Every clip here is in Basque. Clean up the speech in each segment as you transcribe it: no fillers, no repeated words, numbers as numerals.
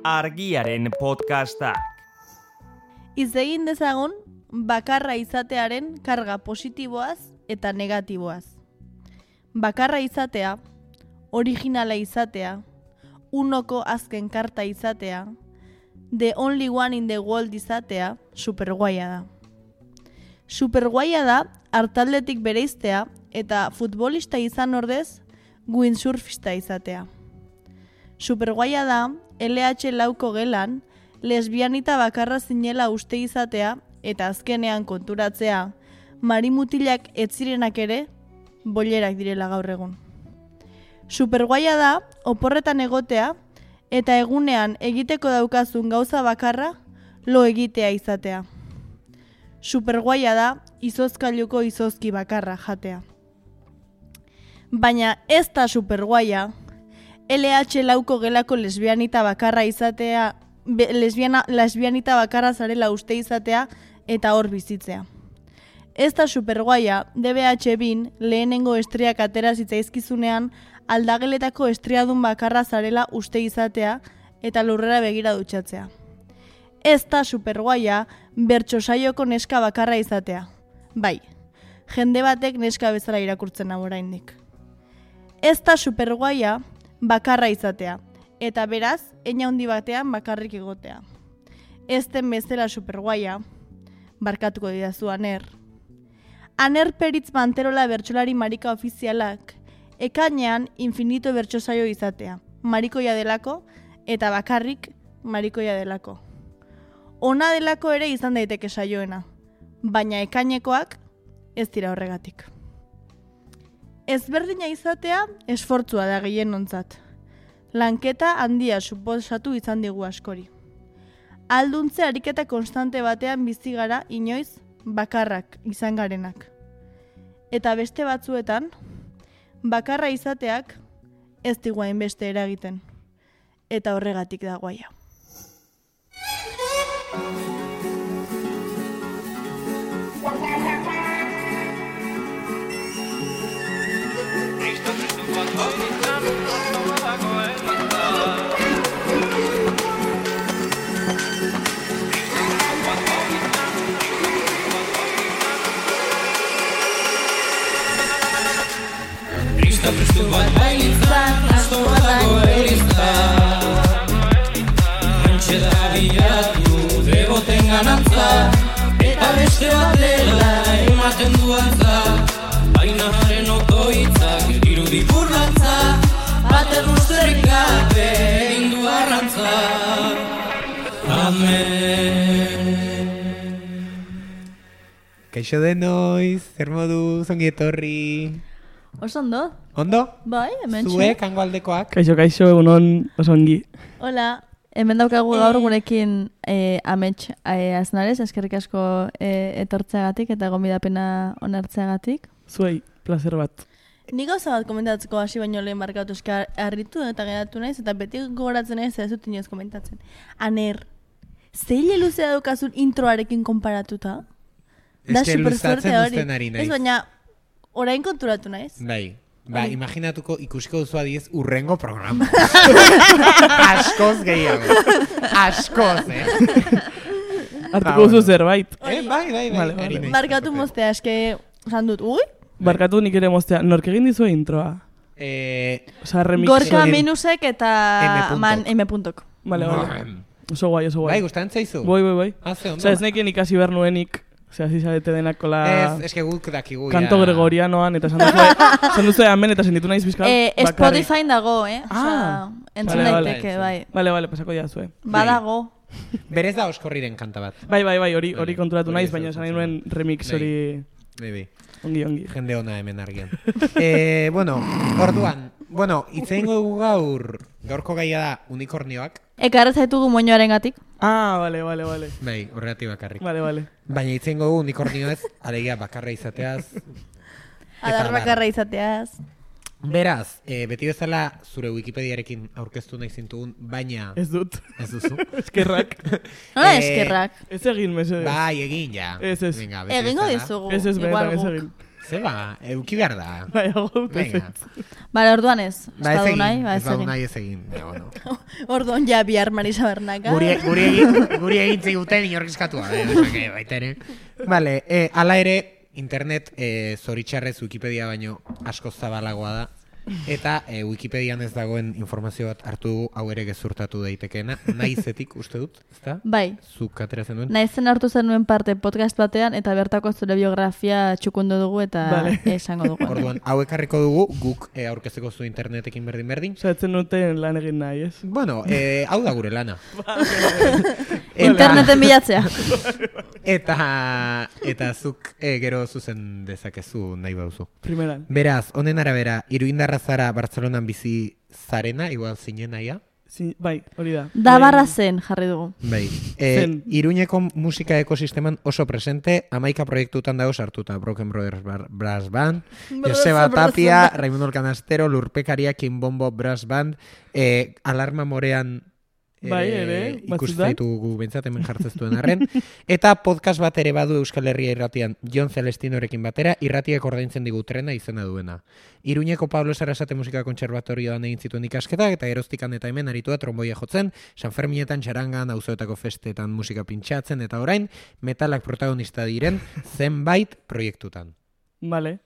Argiaren podcastak. Hitz egin dezagun bakarra izatearen karga positiboaz eta negatiboaz. Bakarra izatea, originala izatea, unoko azken karta izatea, the only one in the world izatea, superguaia da. Superguaia da artaldetik bereiztea eta futbolista izan ordez windsurfista izatea. Superguaia da LH lauko gelan lesbianita bakarra zinela uste izatea eta azkenean konturatzea marimutilak etzirenak ere bollerak direla gaur egun. Superguaia da oporretan egotea eta egunean egiteko daukazun gauza bakarra lo egitea izatea. Superguaia da izozkailuko izozki bakarra jatea. Baina ez da superguaia LH lauko gelako lesbianita bakarra izatea, lesbianita bakarra zarela uste izatea eta hor bizitzea. Ez da superguaia DBH bin lehenengo estriak atera zitzaizkizunean aldageletako estriadun bakarra zarela uste izatea eta lurrera begira dutxatzea. Ez da superguaia bertsosaioko neska bakarra izatea. Bai, jende batek neska bezala irakurtzen hau oraindik. Ez da superguaia bakarra izatea, eta beraz, eina handi batean bakarrik egotea. Ez den bezala superguaia, barkatuko didazu Aner. Aner Peritz Manterola bertsolari marika ofizialak, ekainean infinito bertsosaio izatea, marikoia delako, eta bakarrik marikoia delako. Ona delako ere izan daiteke saioena, baina ekainekoak ez dira horregatik. Ezberdina izatea esfortzua da gehienontzat. Lanketa handia suposatu izan digu askori. Alduntze ariketa konstante batean bizi gara inoiz bakarrak izan garenak. Eta beste batzuetan, bakarra izateak ez digu hainbeste eragiten. Eta horregatik da guaia. Prestu bat bailitzan, asto bat dago eriztan. Rentxe da bilatu, degoten ganantza, eta beste bat dela ematen du antza. Baina haren otoitzak irudi burlantza, baten usterik gabe egin du arrantza. Amen. Kaixo denoiz, zer moduz, ongi etorri. Oso ondo? Ondo? Bai, hemen Zuek, hango aldekoak? Kaixo, egunon oso ongi. Hola, hemen daukagu gaur gurekin amets aznarez, eskerrik asko etortzeagatik eta gonbidapena onartzeagatik. Zuei, placer bat. Ni gauza bat komentatzeko hasi baino lehen markatu eska harritu eta geratu naiz eta beti gogoratzen naiz ez dut inoiz komentatzen. Aner, zeile luzea daukazun introarekin konparatuta? Da super suerte hori. Ez baina orain konturatu naiz. Bai. Ba, imaginatuko ikusiko duzu adiez urrengo programa. Askoz gehiago. Askoz, Hartuko duzu zerbait. Bai. Vale. Markatu moztea, eske, esan dut, ui? Barkatu nik ere moztea. Nork egin dizue introa? Osa, remix. Gorka minusek eta M.K. Vale. Oso guai. Bai, gustatzen zaizu? Bai. Ondo. Osa, ez nekien ikasi behar nuenik. Osea, zizarete denak kola... Ez que guk dakigu ya... Kanto gregorianoan, eta esan duzue amen, eta senditu naiz bizkal. Spotify dago, Osea, entzun daiteke, bai. Vale, pasako ja zue. Badago. Berez da oskorriren kanta bat. Bai, hori konturatu naiz, baina esan nahi nuen remix hori... Bai. Ongi. Jende ona hemen argian. Orduan, itzeingo dugu gaurko gaia da unikornioak. Ekarra zaitugu moñoaren gatik. Vale. Bai, horregatik bakarrik. Vale. Baina itzeingo dugu unikornioez, alegia bakarra izateaz. Adar bakarra izateaz. Beraz, beti bezala zure Wikipediarekin aurkeztu nahi zintugun, baina... Ez dut. Ez duzu. Eskerrak. Nola eskerrak? Ez egin, mesedez. Bai, egin, ja. Ez. Venga, Egingo dizugu. Ez, benetan ez egin. Zeba, euki behar da. Bai, hau Venga. Bale, orduan ez. Ba, ez Badu egin, nahi, ba, ez ez badu egin. nahi ez egin. Bueno. Orduan ja bihar Marisa Bernaka. Guri egin ziguten inorkizkatua, baita ere. Vale, ala ere, internet zoritxarrez Wikipedia baino asko zabalagoa da. Eta Wikipedian ez dagoen informazio bat hartu dugu, hau ere gezurtatu daitekeena. Naizetik, uste dut, ezta? Bai. Zuk ateratzen duen? Naizen hartu zenuen parte podcast batean eta bertako zure biografia txukundu dugu eta Vale. esango dugu. Orduan, hau ekarriko dugu, guk aurkezeko zu internetekin berdin. Osa, etzen duten lan egin nahi, ez? Bueno, hau da gure lana. Interneten bilatzea. Eta zuk gero zuzen dezakezu nahi bauzu. Primeran. Beraz, honen arabera, iruindarra zara Bartzelonan bizi zarena, igual zinen naia. Bai, hori da. Da barra zen jarri dugu. Bai. Zen. Iruñeko musika ekosisteman oso presente, 11 proiektutan dago sartuta. Broken Brothers Brass Band, Joseba Tapia, Raimundo Canastero, Lurpekaria, Kimbombo Brass Band, Alarma Morean Bai, ere, ikusten ditugu bentsat hemen jartzeztuen arren. Eta podcast bat ere badu Euskal Herria irratian Jon Celestinorekin batera, irratiak ordaintzen digu trena izena duena. Iruñeko Pablo Sarasate Musika Kontserbatorioan egin zituen ikasketak, eta geroztikan eta hemen aritua tromboia jotzen, San Ferminetan, txarangan, auzoetako festetan musika pintxatzen, eta orain, metalak protagonista diren zenbait proiektutan. Vale.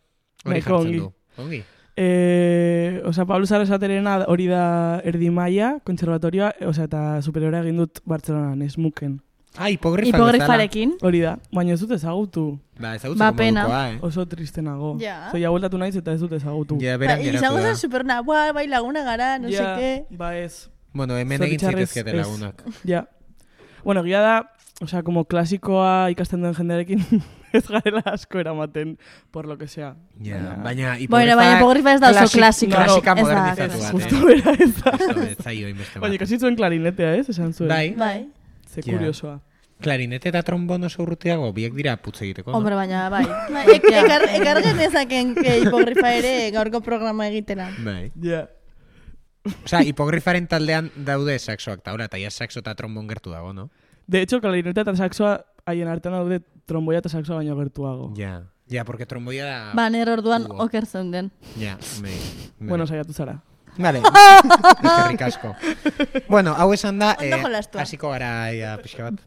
Hori Nahiko jartzen ongi. du. Ongi. Pablo Sarasaterena hori da erdi maila, kontserbatorioa, eta superiora egin dut Bartzelonan, esmuken. Hipogrifarekin. Hori da, baina ez dut ezagutu. Ba, ezagutzeko pena. modukoa, Oso tristenago. Ja. Zoia bueltatu naiz eta ez dut ezagutu. Ja, beran geratu Izango da. zen superna, bai laguna gara, no seke. Ba ez. Bueno, hemen egin Zoritxarrez zitezkete ez. lagunak. Ja. Bueno, egia da, como klasikoa ikasten duen jendearekin ez garela asko eramaten, por lo que sea. Ja, baina Baina hipogrifa ez da oso klasikoa. Klasika Ez da, modernizatu bat. Justo bera ez da. Ez zaio inbeste Baina bat. ikasi zuen klarinetea, ez? Esan zuen. Bai. Ze Ja. kuriosoa. Klarinete eta trombon oso urrutiago, biek dira putz egiteko. no? Hombre, baina, bai. Ekar genezaken hipogrifa ere gaurko programa egitera. Bai. Ja. Osea, hipogrifaren taldean daude saxoak taura, eta ja saxo eta trombon gertu dago, no? De hecho, klarinetea eta saxoa haien artean daude tromboia eta saxoa baino gertuago. Ja, porque tromboia da... Ba, nire orduan Hugo. oker zeunden. Ja, bai. Bueno, saiatu zara. Vale, eskerrik asko. Bueno, hau esan da, Ondo jolastua. hasiko gara ja, pixka bat.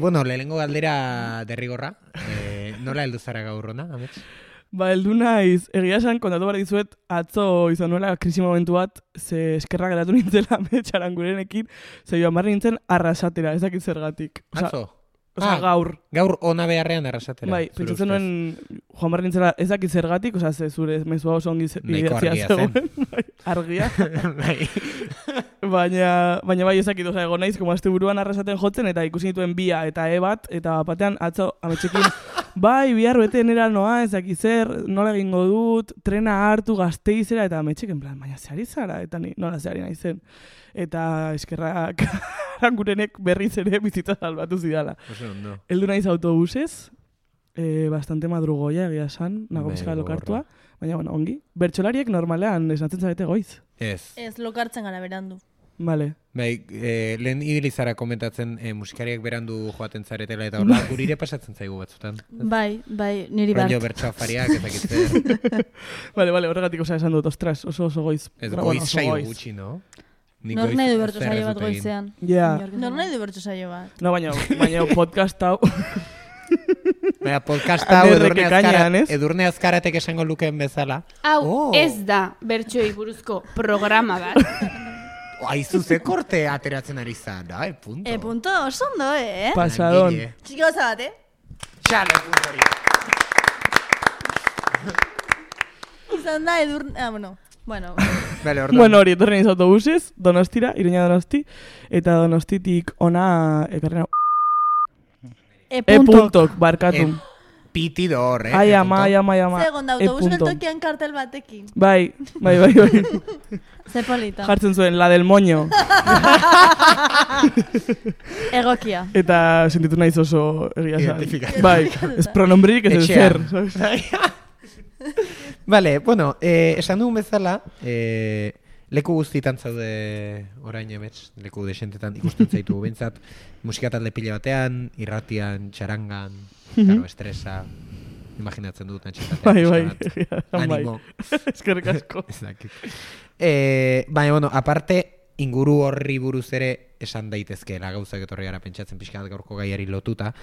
Bueno, lehenengo galdera derrigorra. Nola heldu zara gaur hona, amets? Ba, heldu naiz, egia esan, kontatu behar dizuet, atzo izan nuela krisi momentu bat, ze eskerra geratu nintzela metxarangurenekin, ze joan barri nintzen arrasatera, ez dakit zergatik. Atzo? Gaur. Gaur ona beharrean arrasatera. Bai, zure pentsatzen ustez. nuen, joan barri nintzela, ez dakit zergatik, ze zure mezua oso ongi Nahiko argia zen. Bai, argia. Bai. Baina bai ezakit, egon naiz, como azte buruan arrasaten jotzen, eta ikusi nituen bia eta bat, eta batean atzo ametxekin, bai, bihar bete nera noa, ezakit zer, nola egingo dut, trena hartu Gasteizera, eta ametxek, en plan, baina zehari zara, eta ni, nola zehari naizen. Eta eskerrak arangurenek berriz ere bizitza salbatu zidala. Oso ondo. Heldu naiz autobusez, bastante madrugoia egia esan, nago pixka lokartua, baina bueno, ongi. Bertsolariek normalean esnatzen zarete goiz. Ez. Ez lokartzen gara berandu. Vale. Bai, lehen ibilizara komentatzen musikariak berandu joaten zaretela, eta horla gurire pasatzen zaigu batzutan. Bai, niri bat. Rollo bertsoafariak, ezakitzer. Vale, horregatik esan dut, ostras, oso goiz. Ez Pero goiz bueno, oso saio goiz. gutxi, no? Nor nahi du bertu saio bat goizean. Ja. Nor nahi du bertu saio bat. No, baina podcast hau... Baina podcasta hau Anerrek ekainean, ez? Edurne Azkaratek esango lukeen bezala. Hau ez da bertsoei buruzko programa bat. Aizu ze korte ateratzen ari zan, punto. Punto, oso ondo, Pasadon. Langile. Txiki gauza bat, Xale, puntori. Izan da edurne... Bueno. Vale, orduan. Bueno, hori, etorren iz autobusez, Donostira, Iruña Donosti, eta Donostitik ona ekarrena... E-puntok, barkatu. Pitido hor, Ai ama. Zegon da autobus geltokian kartel batekin. Bai. Ze polita. Jartzen zuen, la del moño. Egokia. Eta sentitu naiz oso egia esan. Identifikatu. Bai, ez pronombririk ez zer. Vale, bueno, esan dugun bezala, leku guztietan zaude orain emets, leku desentetan ikusten zaitu bentsat, musika talde pila batean, irratian, txarangan, claro, estresa, imaginatzen dut antxetatea. Bai. Animo. Eskerrik asko. Ez dakit. Baina, bueno, aparte, inguru horri buruz ere esan daitezkeela gauzak etorri gara pentsatzen pixka bat gaurko gaiari lotuta.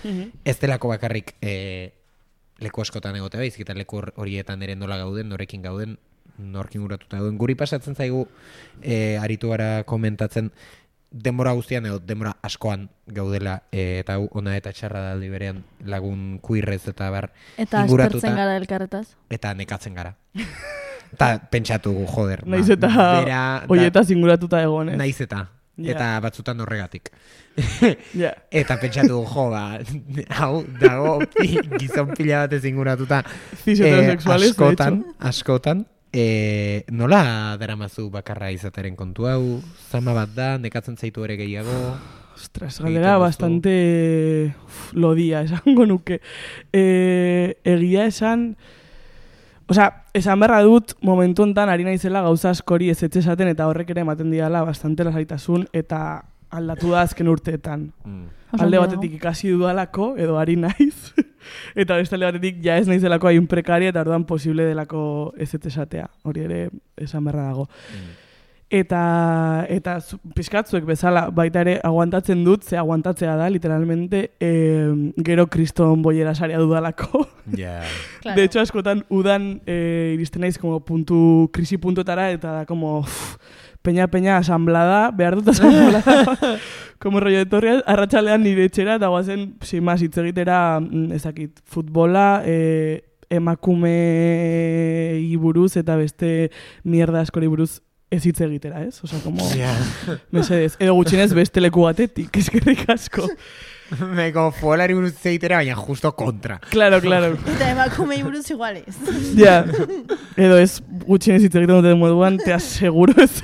Ez delako bakarrik leku askotan egote baizik eta leku horietan ere nola gauden, norekin gauden, norkin guratuta gauden. Guri pasatzen zaigu, aritu gara komentatzen, denbora guztian edo denbora askoan gaudela eta hau ona eta txarra da aldi berean lagun kuirrez eta bar Eta inguratuta. aspertzen gara elkarretaz. Eta nekatzen gara. Eta pentsatu joder. Naiz eta hoietaz inguratuta egon, eh? Naiz eta. Ja. Eta batzutan horregatik. Ja. Eta pentsatu hau dago gizon pila batez inguratuta. Cis heterosexuales, de hecho. Askotan. Nola daramazu bakarra izateren kontu hau? Zama bat da, nekatzen zaitu ere gehiago? Ostras, galdera bastante lodia, esango nuke. Egia esan... Osea, esan berra dut, momentu hontan ari naizela gauza askori ez esaten eta horrek ere ematen diala bastante lasaitasun eta aldatu da azken urteetan. Alde batetik ikasi dudalako, edo ari naiz, eta beste alde batetik ja ez naizelako hain prekaria eta orduan posible delako ez esatea. Hori ere esan berra dago. Eta pixkatzuek bezala baita ere aguantatzen dut, ze aguantatzea da, literalmente, gero kriston boiera sarea dudalako. Yeah. Claro. De hecho, askotan udan iristen naiz como krisi puntuetara eta da como peña asamblada, behar dut asamblada, como rollo de torreaz, arratsalean nire etxera eta guazen, sin más, hitz egitera, ezakit, futbola, emakumei buruz eta beste mierda askori buruz ez hitz egitera, ez? Osa, como, mesedez, edo gutxinez beste leku batetik, eskerrik asko. Meko fuelari buruz egitera, baina justo kontra. Claro. Eta emakumei buruz iguales. Ja, edo ez gutxinez hitz egiten duten moduan, te aseguro ez.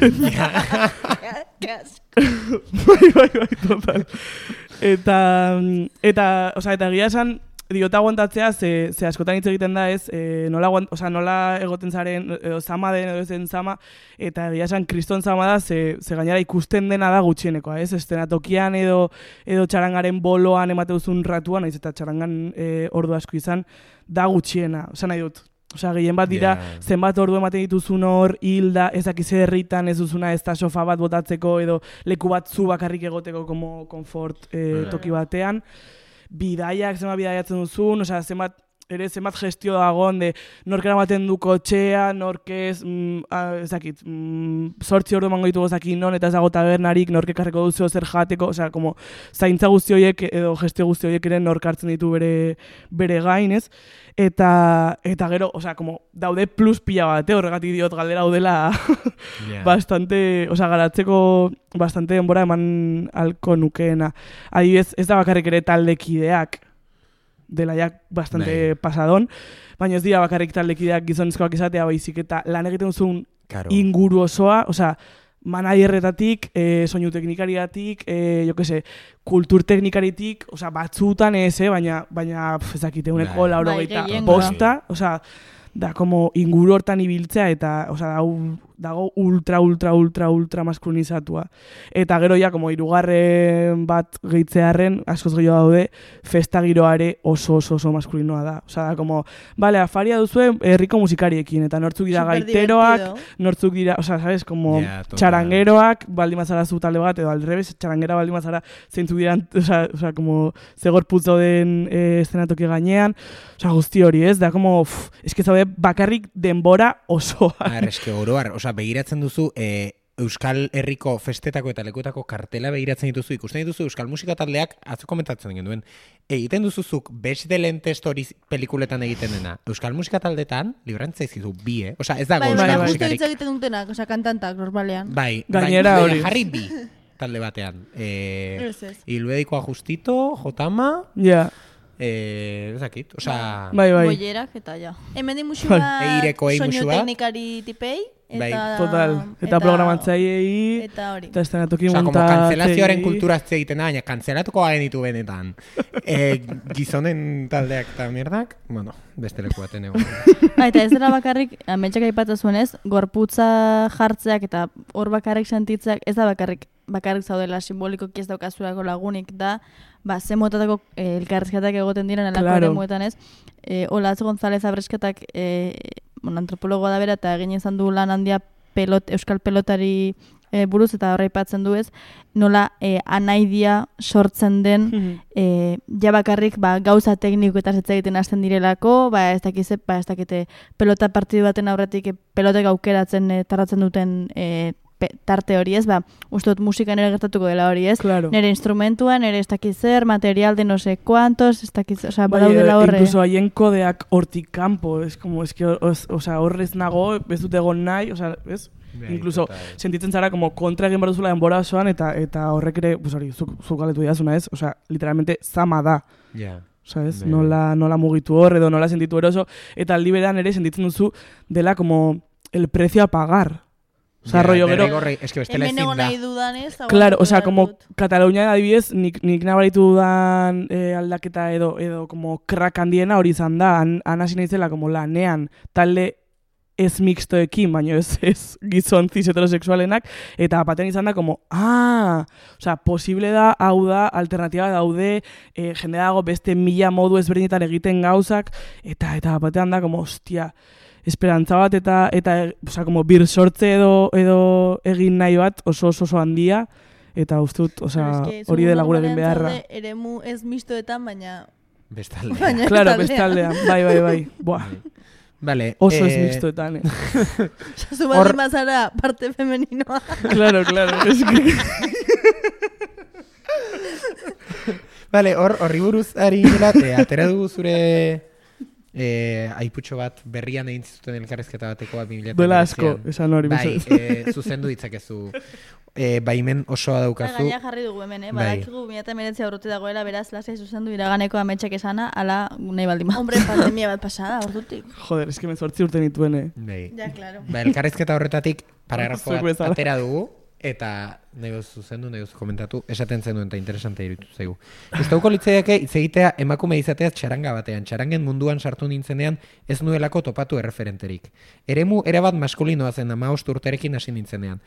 Bai, total. Eta egia esan, diota aguantatzea, ze askotan hitz egiten da ez, nola egoten zaren, edo zama den, edo zen zama, eta egia esan kriston zama da, ze gainera ikusten dena da gutxienekoa, ez? Estenatokian edo txarangaren boloan emate duzun ratuan, naiz eta txarangan ordu asko izan, da gutxiena, nahi dut. Gehien bat dira, zenbat ordu ematen dituzun hor, hilda, ezakize herritan ez duzuna ez da sofa bat botatzeko, edo leku bat zu bakarrik egoteko, como konfort toki batean. Bidaiak, zenbat bidaiatzen duzun, zenbat gestio dagoen, nork eramaten du kotxea, nork ez, ezakit, 8 ordu emango ditugu zakin non, eta ez dago tabernarik, nork ekarreko duzio zer jateko, como, zaintza guzti horiek, edo gestio guzti horiek ere nork hartzen ditu bere gain, ez? Eta gero, como, daude plus pila bat, horregatik diot galdera daudela bastante, garatzeko bastante denbora eman alko nukeena. Adibidez, ez da bakarrik ere taldekideak, dela jak bastante pasadon, baina ez dira bakarrik taldekideak gizonezkoak izatea baizik eta lan egiten duzun inguru osoa, managerretatik, soinu teknikariatik, kultur teknikaritik, batzutan ez, baina ezakite, uneko 85, da, como inguru hortan ibiltzea, eta, dago ultra maskulinizatua. Eta gero ja, como hirugarren bat gehitzearren, askoz gehiago daude, festa giroare oso maskulinoa da. Da, como, bale, afaria duzue herriko musikariekin, eta nortzuk dira gaiteroak, nortzuk dira, sabes, como txarangeroak, baldimazara zu talde bat, edo aldrebes, txarangera baldimazara zeintzuk dira, como, zegor putzo den eszenatoki gainean, guzti hori, ez? Da, como, eske zaude bakarrik denbora osoa. Eske oroar, begiratzen duzu Euskal Herriko festetako eta lekuetako kartela begiratzen dituzu, ikusten dituzu Euskal Musika taldeak, atzo komentatzen genuen, egiten duzuzuk beste lente stories pelikuletan egiten dena. Euskal Musika taldetan, librantza izizu bi, ez dago Euskal Musikarik. Justo hitz egiten dutenak, kantantak, normalean. Gainera hori. Jarri bi talde batean. Ilbedikoa Justito, Jotama... Ja. Ezakit, Bai. Boierak eta ja. Hemen di musu bat soinu teknikari tipei, Bai. Total. Eta programatzaileei, Eta hori. eta estenatoki Osa, como montatzaileei. kanzelazioaren kultura egiten da, baina kanzelatuko genitu benetan. Gizonen taldeak eta mierdak, bueno, beste leku baten egon. Eta ez dela bakarrik, ametxak aipatzen zuenez, gorputza jartzeak eta hor bakarrik sentitzeak, ez da bakarrik zaudela simbolikoki ez daukazulako lagunik da, ze motatako elkarrizketak egoten diren alako Claro. eremuetan ez. Olatz González Abresketak antropologoa da bera eta egin izan du lan handia euskal pelotari buruz eta horra aipatzen du ez, nola anaidia sortzen den ja bakarrik gauza tekniko eta hitz egiten hasten direlako, ez dakite pelota partidu baten aurretik pelotek aukeratzen tarratzen duten tarte hori ez, uste dut musika nire gertatuko dela hori ez, Claro. nire instrumentua, nire ez dakit zer, material de no sé cuantos, ez dakit, osea, badaudela horre. Incluso haien kodeak hortik kanpo, horrez nago, ez dut egon nahi, ez? Bai, Incluso total. sentitzen zara como kontra egin behar duzula denbora osoan eta horrek ere, pues hori, zuk galetu diazuna ez, literalmente zama da. Ja. ¿Sabes? Bai. Nola mugitu hor edo nola sentitu eroso, eta aldi berean ere sentitzen duzu dela como el precio a pagar. Rollo gero... Es que bestela Hemen ezin egon da. nahi dudanez, Claro, aguantatu como behar dut. Katalunia adibidez, nik nabaritu dudan aldaketa edo como crack handiena hori izan da, han hasi naizela como lanean talde ez mixtoekin, baina ez gizon cis heterosexualenak, eta batean izan da como, posible da, hau da, alternatiba daude, jende dago beste 1000 modu ezberdinetan egiten gauzak, eta batean da como, hostia, esperantza bat eta como bir sortze edo egin nahi bat oso handia, eta uste dut, hori dela gure egin beharra. Eremu ez mistoetan, baina... Bestalde. Claro, bestaldean, bai. Buah. Vale. Oso ez mixtoetan, Zu baldin bazara parte femeninoa. Claro, es que... Vale, horri buruz ari gila, atera dugu zure aiputxo bat berrian egin zuten elkarrezketa batekoa 2000. Duela asko, esan hori. Bai, zuzendu ditzakezu. Baimen osoa daukazu. Gaina jarri dugu hemen, badakigu 2019 aurruti dagoela, beraz, lasai zuzendu iraganeko ametxak esana, ala nahi baldin. Hombre, pandemia bat pasada, ordutik. Joder, es que me 8 urte nituen, Bai. Ja, claro. Elkarrezketa horretatik paragrafo Zuek bat bezala. atera dugu, eta nahi zuzendu, nahi komentatu, esaten zenuen eta interesante iruditu zaigu. Gustauko litzaiake hitz egitea emakume izateaz txaranga batean. Txarangen munduan sartu nintzenean ez nuelako topatu erreferenterik. Eremu erabat maskulinoa zen 15 urterekin hasi nintzenean.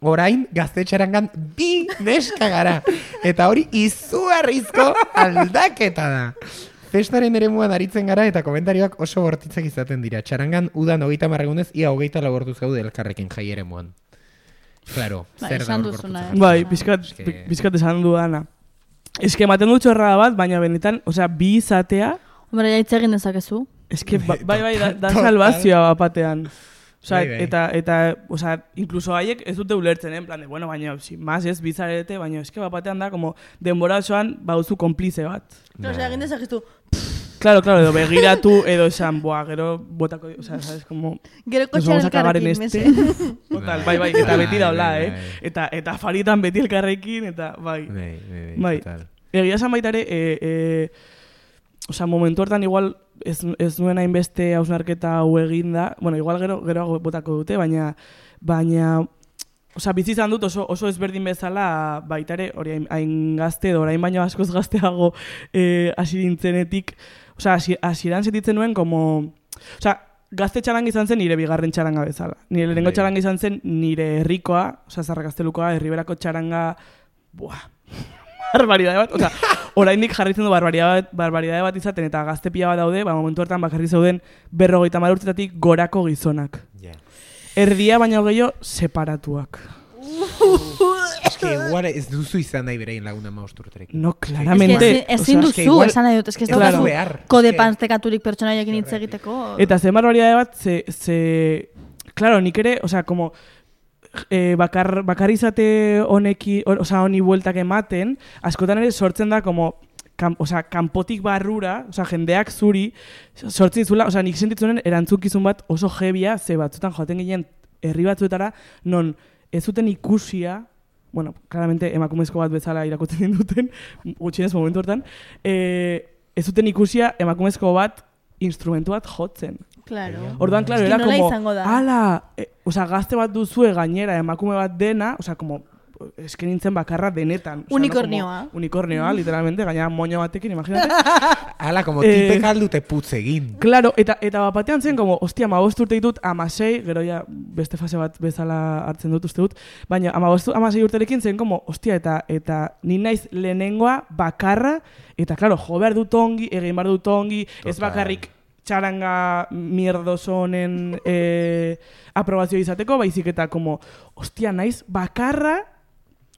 Orain gazte txarangan 2 neska gara. Eta hori izugarrizko aldaketa da. Festaren eremuan aritzen gara eta komentarioak oso bortitzak izaten dira. Txarangan udan 30 egunez ia 24 orduz gaude elkarrekin jai eremuan. Claro, zer da esan hor duzuna, gorputza. Bai, pizkat esan dudana. Es que ematen dut txorra bat, baina benetan, bi izatea, Hombre, ja hitz egin dezakezu. es que bai, da Total. salvazioa batean. Bai, bai. Eta, incluso haiek ez dute ulertzen, en plan de, bueno, baina, sin más, ez, bizarete, baina, eske batean da, como, denbora osoan, bauzu konplize bat. Osea, egin dezakezu. Claro, edo begiratu, edo esan, gero, botako, sabes, como... Gero Nos vamos a cagar en elkarrekin, este. mese. Total, bai, eta beti daula, Bai, Eta afaritan beti elkarrekin, eta bai. Bai. Total. Egia esan baita ere, momentu hortan igual ez nuen hainbeste hausnarketa hau eginda, bueno, igual gero botako dute, baina bizi izan dut oso ezberdin bezala baita ere, hori hain gazte edo orain baino askoz gazteago hasi nintzenetik, hasieran sentitzen nuen como, gazte txaranga izan zen nire bigarren txaranga bezala. Nire lehenengo txaranga izan zen nire herrikoa, Zarra Gaztelukoa, herriberako txaranga, barbaridade bat, oraindik jarritzen du barbaridade bat izaten eta gazte pila bat daude, momentu hortan bakarri zeuden 50 urtetatik gorako gizonak. Erdia baina gehiago separatuak. Es que igual ez duzu izan nahi berein laguna 15 urterekin. No, claramente. Ezin es que duzu, igual- esan nahi dut, ez Claro. daukazu Behar. kode Es que- pantekaturik pertsonaiekin hitz egiteko. Eta zen barbaridade bat, claro, nik ere, como, bakar izate honi bueltak ematen, askotan ere sortzen da, como, kanpotik barrura, jendeak zuri, sortzen dizula, nik sentitzunen erantzukizun bat oso jebia, ze batzutan joaten ginen herri batzuetara, non ez zuten ikusia, bueno, claramente emakumezko bat bezala irakutzen duten, gutxienez momentu hortan, ez zuten ikusia emakumezko bat instrumentu bat jotzen. Claro. Orduan, claro, Eski era nola como, izango da? ala, gazte bat duzue gainera, emakume bat dena, como, eske nintzen bakarra denetan. Unikornioa. No, unikornioa, literalmente, gainera moño batekin, imagínate. Ala, como tipek aldute putz egin. Claro, eta batean zen, como, hostia, 15 urte ditut, 16, gero ja beste fase bat bezala hartzen dut uste dut, baina 16 urterekin zen, como, hostia, eta ni naiz lehenengoa bakarra, eta, claro, jo behar dut ongi, egin behar dut ongi, ez bakarrik txaranga mierdoso honen aprobazio izateko, baizik eta, como, hostia, naiz bakarra,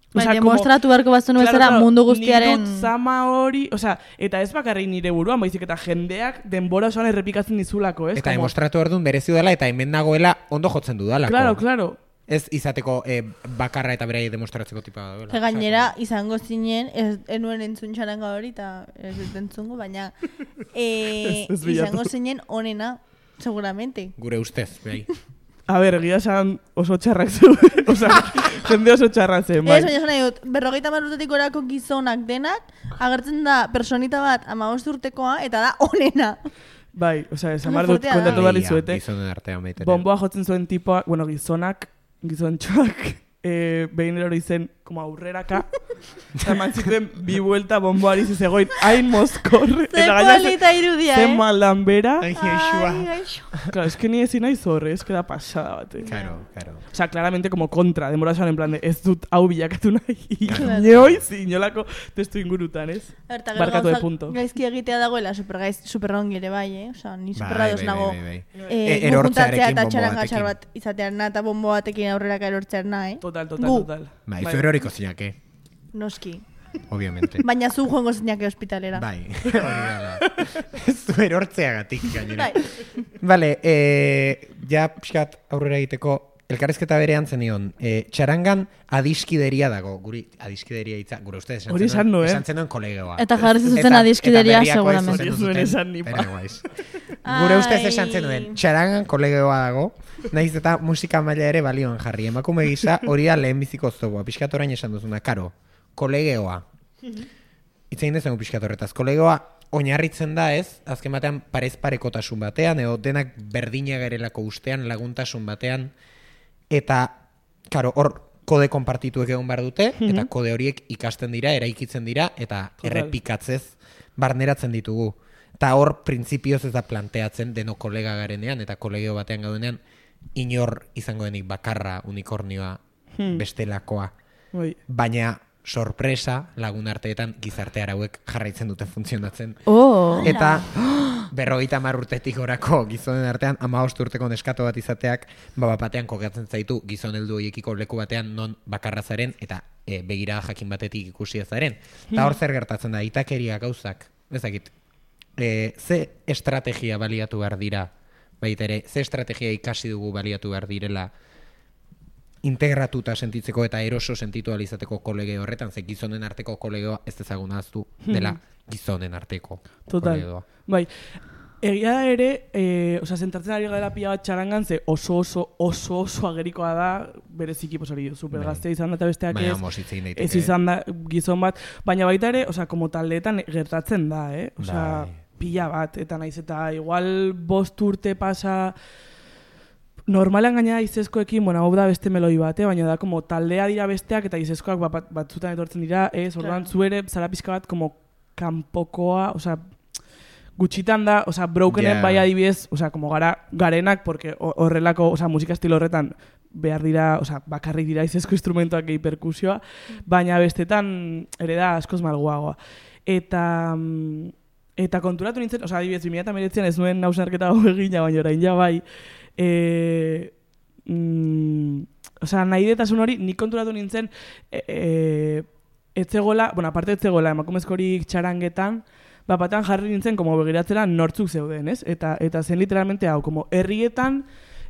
Baina, demostratu beharko bazenu bezala mundu guztiaren... Nik dut zama hori, eta ez bakarrik nire buruan, baizik eta jendeak denbora osoan errepikatzen dizulako, ez? Eta demostratu behar duen berezi dela, eta hemen nagoela ondo jotzen dudalako. Claro. Ez izateko bakarra eta berai demostratzeko tipa da. Gainera, izango zinen, enuen entzun txaranga hori, eta ez dut entzungo, baina izango zinen onena, seguramente. Gure ustez, behai. A ber, egia esan oso txarrak zu, jende oso txarra zen, bai. Ez, baina esan nahi dut, 50 urtetik orako gizonak denak, agertzen da personita bat 15 urtekoa, eta da onena. Bai, esan behar dut, kontatu behar dizuete. Gizonen artean baita. Bomboa jotzen zuen tipoa, gizontxoak, behin erori zen, como aurreraka, eta mantzituen bi buelta bomboari zizegoin, hain mozkor. Ze polita irudia, Ze maldan bera. Ai, gaixua. Claro, es que ni ezin nahi zorre, es que da pasada bate. Claro. Claramente como kontra, denbora esan en plan de, ez dut hau bilakatu nahi. Inoiz, inolako testu ingurutan, ez? Barkatu de punto. Gaizki egitea dagoela superrongi ere bai, ni superrados nago. Erortzearekin eta txaranga txar bat izatean eta bombo batekin aurreraka erortzean nahi. Total. Bai, zu eroriko zinake. Noski. Obviamente. Baina zu joango zinake hospitalera. Bai, hori dala. Zu erortzeagatik gainera. Bai. Vale, ja pixkat aurrera egiteko, elkarrezketa berean zenion, txarangan adiskideria dago, guri adiskideria hitza, gure ustez esan zenuen kolegoa. Eta jarri zuten adiskideria seguramente. Ez zuen esan nipa. Gure ustez esan zenuen, txarangan kolegoa dago, nahiz eta musika maila ere balioan jarri. Emakume gisa hori da lehen biziko oztoboa, pixkat orain esan duzuna, karo, kolegoa. Itzein dezen pixkat horretaz, kolegoa oinarritzen da ez, azken batean parez parekotasun batean, edo denak berdina garelako ustean, laguntasun batean, eta, karo, hor kode konpartituek egon behar dute, eta kode horiek ikasten dira, eraikitzen dira, eta errepikatzez barneratzen ditugu. Eta hor, printzipioz ez da planteatzen deno kolega garenean, eta kolegio batean gaudenean, inor izango denik bakarra unikornioa bestelakoa. Baina, sorpresa, lagun arteetan gizarte arauek jarraitzen dute funtzionatzen. Eta 50 urtetik orako gizonen artean 15 urteko neskato bat izateak batean kokatzen zaitu gizon heldu horiekiko leku batean non bakarra zaren eta begira jakin batetik ikusi zaren. Eta hor zer gertatzen da, itakeria gauzak, ezakit, ze estrategia baliatu behar dira, baita ere, ze estrategia ikasi dugu baliatu behar direla integratuta sentitzeko eta eroso sentitu alizateko kolege horretan, ze gizonen arteko kolegoa ez ezaguna aztu dela gizonen arteko kolegoa. Bai, egia da ere, zentratzen ari gara pila bat txarangan, ze oso agerikoa da, bereziki posari super gaztea izan da eta besteak ez izan da gizon bat, baina baita ere, como taldeetan gertatzen da, pila bat, eta naiz eta igual 5 urte pasa. Normalean gaina izezkoekin, hau da beste meloi bat, baina da, como taldea dira besteak eta izezkoak batzutan etortzen dira, orduan zu ere, zara pizka bat, como kanpokoa, gutxitan da, brokenen bai adibidez, como garenak, porque horrelako, musika estilo horretan behar dira, bakarrik dira izezko instrumentuak gehi perkusioa, baina bestetan ere da askoz malguagoa. Eta konturatu nintzen, adibidez, 2019 ez nuen hausnarketa hau egina, baina orain ja bai, nahi detasun hori, nik konturatu nintzen etzegola, aparte etzegola emakumezkorik txarangetan, batean jarri nintzen begiratzera nortzuk zeuden, ez? Eta zen literalmente hau,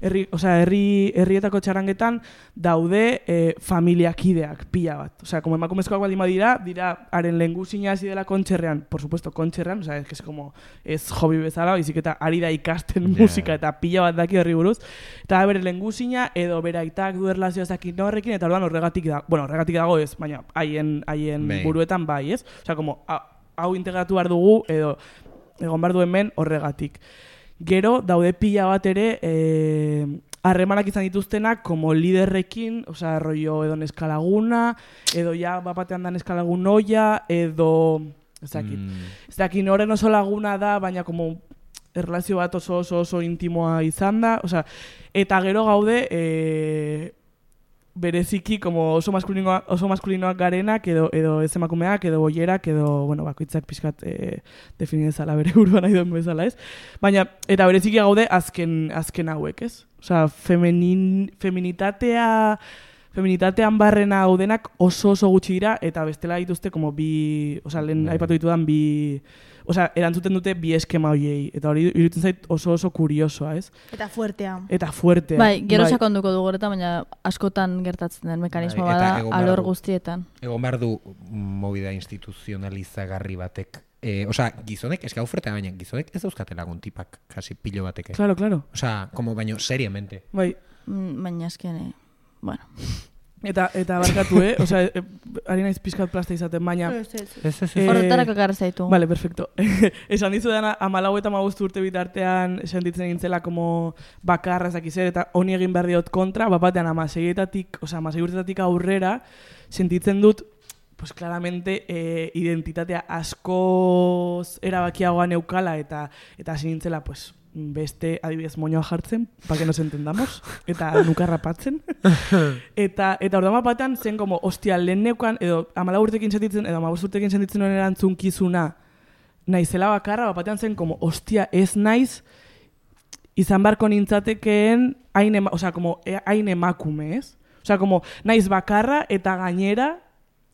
herrietako txarangetan daude familiakideak pila bat. Emakumezkoak baldin dira haren lehengusina hasi dela kontxerrean, por supuesto kontxerrean, ez hobi bezala, baizik eta ari da ikasten musika eta pila bat daki horri buruz, eta bere lehengusina edo bere aitak du erlazioa zakin horrekin, eta orduan horregatik dago ez, baina haien buruetan bai, ez? Hau integratu behar dugu edo egon behar duen men horregatik. Gero daude pila bat ere harremanak izan dituztenak como liderrekin, osea, rollo edo neskalaguna, edo ja bapatean da neskalagun oia, edo ez dakit noren oso laguna da, baina como erlazio bat oso intimoa izan da, osea, eta gero gaude bereziki como oso maskulinoak garenak edo ez emakumeak edo boierak edo bueno, bakoitzak pixkat definizala bere buruan nahi duen bezala, ez? Baina eta bereziki gaude azken hauek, ez? Osea, feminitatean barrena haudenak oso gutxi dira eta bestela dituzte como bi, osea, lehen aipatu ditudan bi, osea, erantzuten dute bi eskema hoiei eta hori iruditzen zait oso kuriosoa, ez? Eta fuertea. Bai, gero sakonduko dugu horretan, baina askotan gertatzen den mekanismo bada alor guztietan. Egon behar du movida instituzionalizagarri batek. Osea, gizonek, eska fuertea, baina gizonek ez dauzkate lagun tipak, kasi pilo batek. Claro. Osea, como baino seriamente. Bai. Baina esken, bueno. Eta barkatu, osea, ari naiz pizkat plasta izaten, baina... Horretarako garra zaitu. Vale, perfecto. Esan dizu dena, 14 eta 15 urte bitartean sentitzen gintzela como bakarra ezakizer, eta honi egin behar diot kontra, bapatean 16 urtetatik aurrera, sentitzen dut, pues claramente identitatea askoz erabakiagoa neukala, eta hasi nintzela, pues, beste adibidez moñoa jartzen, para que nos entendamos, eta nukarra patzen. eta orduan batean zen como, ostia, lehen neukan, edo 14 urtekin sentitzen, edo 15 urtekin sentitzen honen erantzunkizuna, naizela bakarra, batean zen como, ostia, ez naiz, izan barko nintzatekeen, hain emakume, ez? Osea, como, naiz bakarra eta gainera,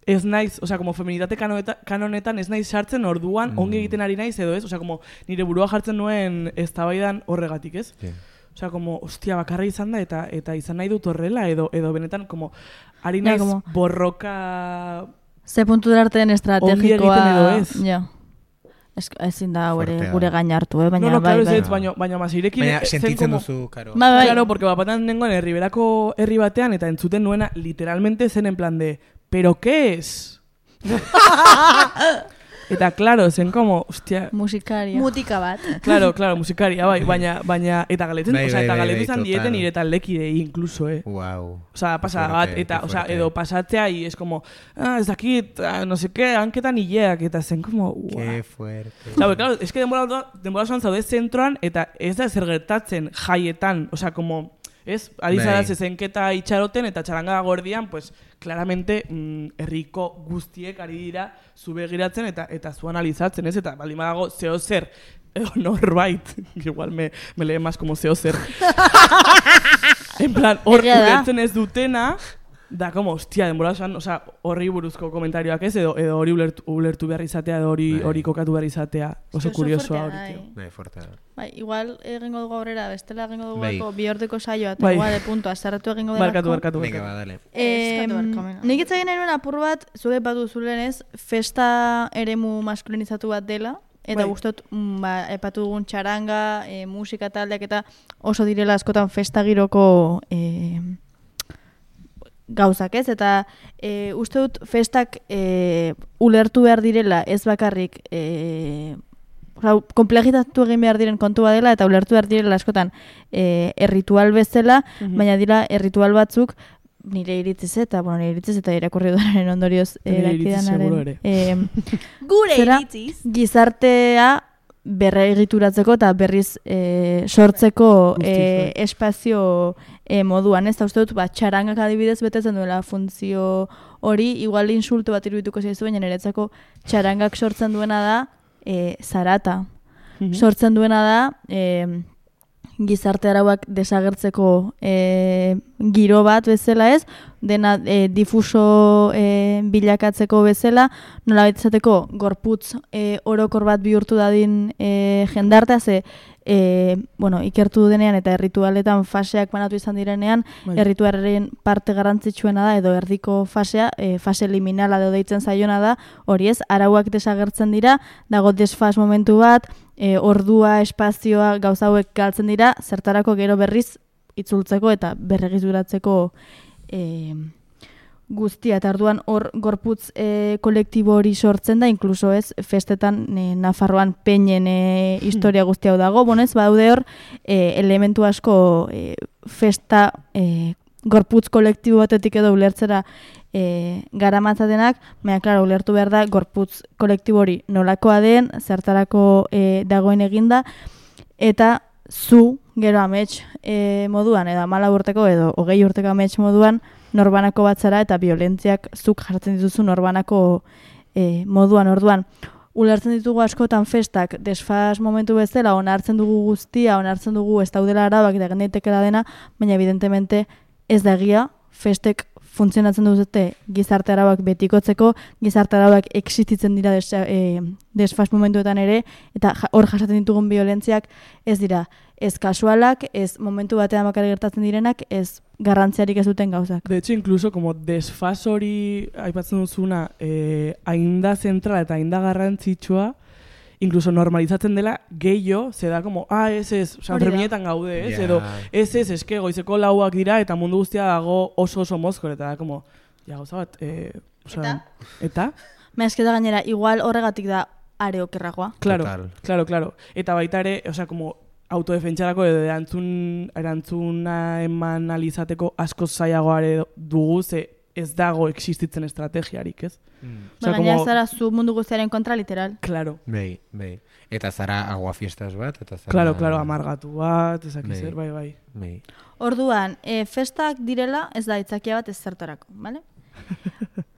ez naiz, osea, como feminitate kanonetan ez naiz sartzen orduan ongi egiten ari naiz edo ez, osea, como nire burua jartzen nuen eztabaidan horregatik, ez? Yeah. Osea, como, ostia, bakarra izan da eta izan nahi dut horrela edo benetan, como, ari naiz borroka... Ze puntu darten estrategikoa... Ongi egiten edo ez. Ja. Ezin da gure gain hartu, baina no, claro, baina masirekin... Baina sentitzen duzu, karo. Claro, porque bapatean nengoen herriberako herri batean eta entzuten nuena literalmente zen en plan de... ¿Pero qué es? Eta, claro, zen como, hostia... Musikaria. Mutika bat. Claro, musikaria, bai, baina, eta galetzen, eta galetzen izan dieten nire talekidei, incluso, Wow. Osea, pasada bat, eta, osea, edo pasatzea, y es como, ez dakit, no sé qué, hanketan hileak, eta zen como, wow. Qué fuerte. Claro, es que denbora zoan zaude zentroan, eta ez da zer gertatzen jaietan, osea, como... Ez, ari zara zezenketa itxaroten eta txaranga gordian, pues, claramente herriko guztiek ari dira zu begiratzen eta zu analizatzen, ez? Eta baldin badago zeo zer, norbait, igual me lee más como zeo zer. En plan, hor ulertzen ez dutena, da como, hostia, denbora esan, osea, horri buruzko komentarioak ez, edo hori ulertu behar izatea, edo hori kokatu behar izatea, oso kuriosoa hori, tio. Bai, fuerte. Bai, igual egingo dugu aurrera, bestela egingo dugu bi ordeko saioa, eta igual de punto, azarratu egingo delako. Barkatu. Venga, ba, dale. Nik itzagin nahi nuen apur bat, zuge batu zulenez, festa eremu maskulinizatu bat dela, eta gustot, epatu dugun txaranga, musika taldeak eta oso direla askotan festa giroko gauzak, ez? Eta uste dut festak ulertu behar direla ez bakarrik komplejitatu egin behar diren kontu dela eta ulertu behar direla askotan erritual bezala, baina dira erritual batzuk nire iritziz eta irakurri duaren ondorioz dakidanaren gure iritziz gizartea berregituratzeko eta berriz sortzeko espazio moduan, ez da uste dut, txarangak adibidez betetzen duela funtzio hori, igual insulto bat irudituko zaizu, baina niretzako txarangak sortzen duena da zarata. Sortzen duena da gizarte arauak desagertzeko giro bat bezala, ez? Dena difuso bilakatzeko bezala, nola izateko gorputz orokor bat bihurtu dadin jendartea, ze ikertu denean eta erritualetan faseak banatu izan direnean, errituaren parte garrantzitsuena da, edo erdiko fasea, fase liminala edo deitzen zaiona da, hori ez, arauak desagertzen dira, dago desfas momentu bat, ordua, espazioa, gauza hauek galtzen dira, zertarako gero berriz itzultzeko eta berregituratzeko guztia, eta orduan hor gorputz kolektibo hori sortzen da, inkluso ez, festetan Nafarroan peinen historia guztia hau dago, bonez, badaude hor elementu asko festa gorputz kolektibo batetik edo ulertzera garamatzatenak, baina, klaro, ulertu behar da, gorputz kolektibo hori nolakoa den, zertarako dagoen eginda, eta zu, gero amets moduan, edo 14 urteko edo 20 urteko amets moduan, norbanako batzara eta violentziak zuk jartzen dituzu norbanako moduan, orduan. Ulertzen ditugu askotan festak desfas momentu bezala, onartzen dugu guztia, onartzen dugu ez daudela arabak eta gendeitekela dena, baina evidentemente ez da egia, festek funtzionatzen duzute gizarte arauak betikotzeko, gizarte arauak existitzen dira desfas momentuetan ere, eta hor jasaten ditugun violentziak ez dira ez kasualak, ez momentu batean bakarrik gertatzen direnak, ez garrantziarik ez duten gauzak. De hecho, incluso como desfas hori aipatzen duzuna, ainda zentrala eta ainda garrantzitsua, incluso normalizatzen dela gehiago, ze da como, ez, Sanferminetan gaude, ez, edo, ez, eske goizeko lauak dira, eta mundu guztia dago oso mozkor, eta da, como, gauza bat, eta? Mehazketa gainera, igual horregatik da are okerragoa. Claro. Eta baita ere, como, autodefentsarako edo erantzuna eman alizateko asko zailagoare dugu, ze ez dago existitzen estrategiarik, ez? Baina zara zu mundu guztiaren kontra, literal. Claro. Bai. Eta zara aguafiestas bat, eta zara... Claro, amargatu bat, ezakizer, bai. Orduan, festak direla ez da itzakia bat ez zertarako, bale?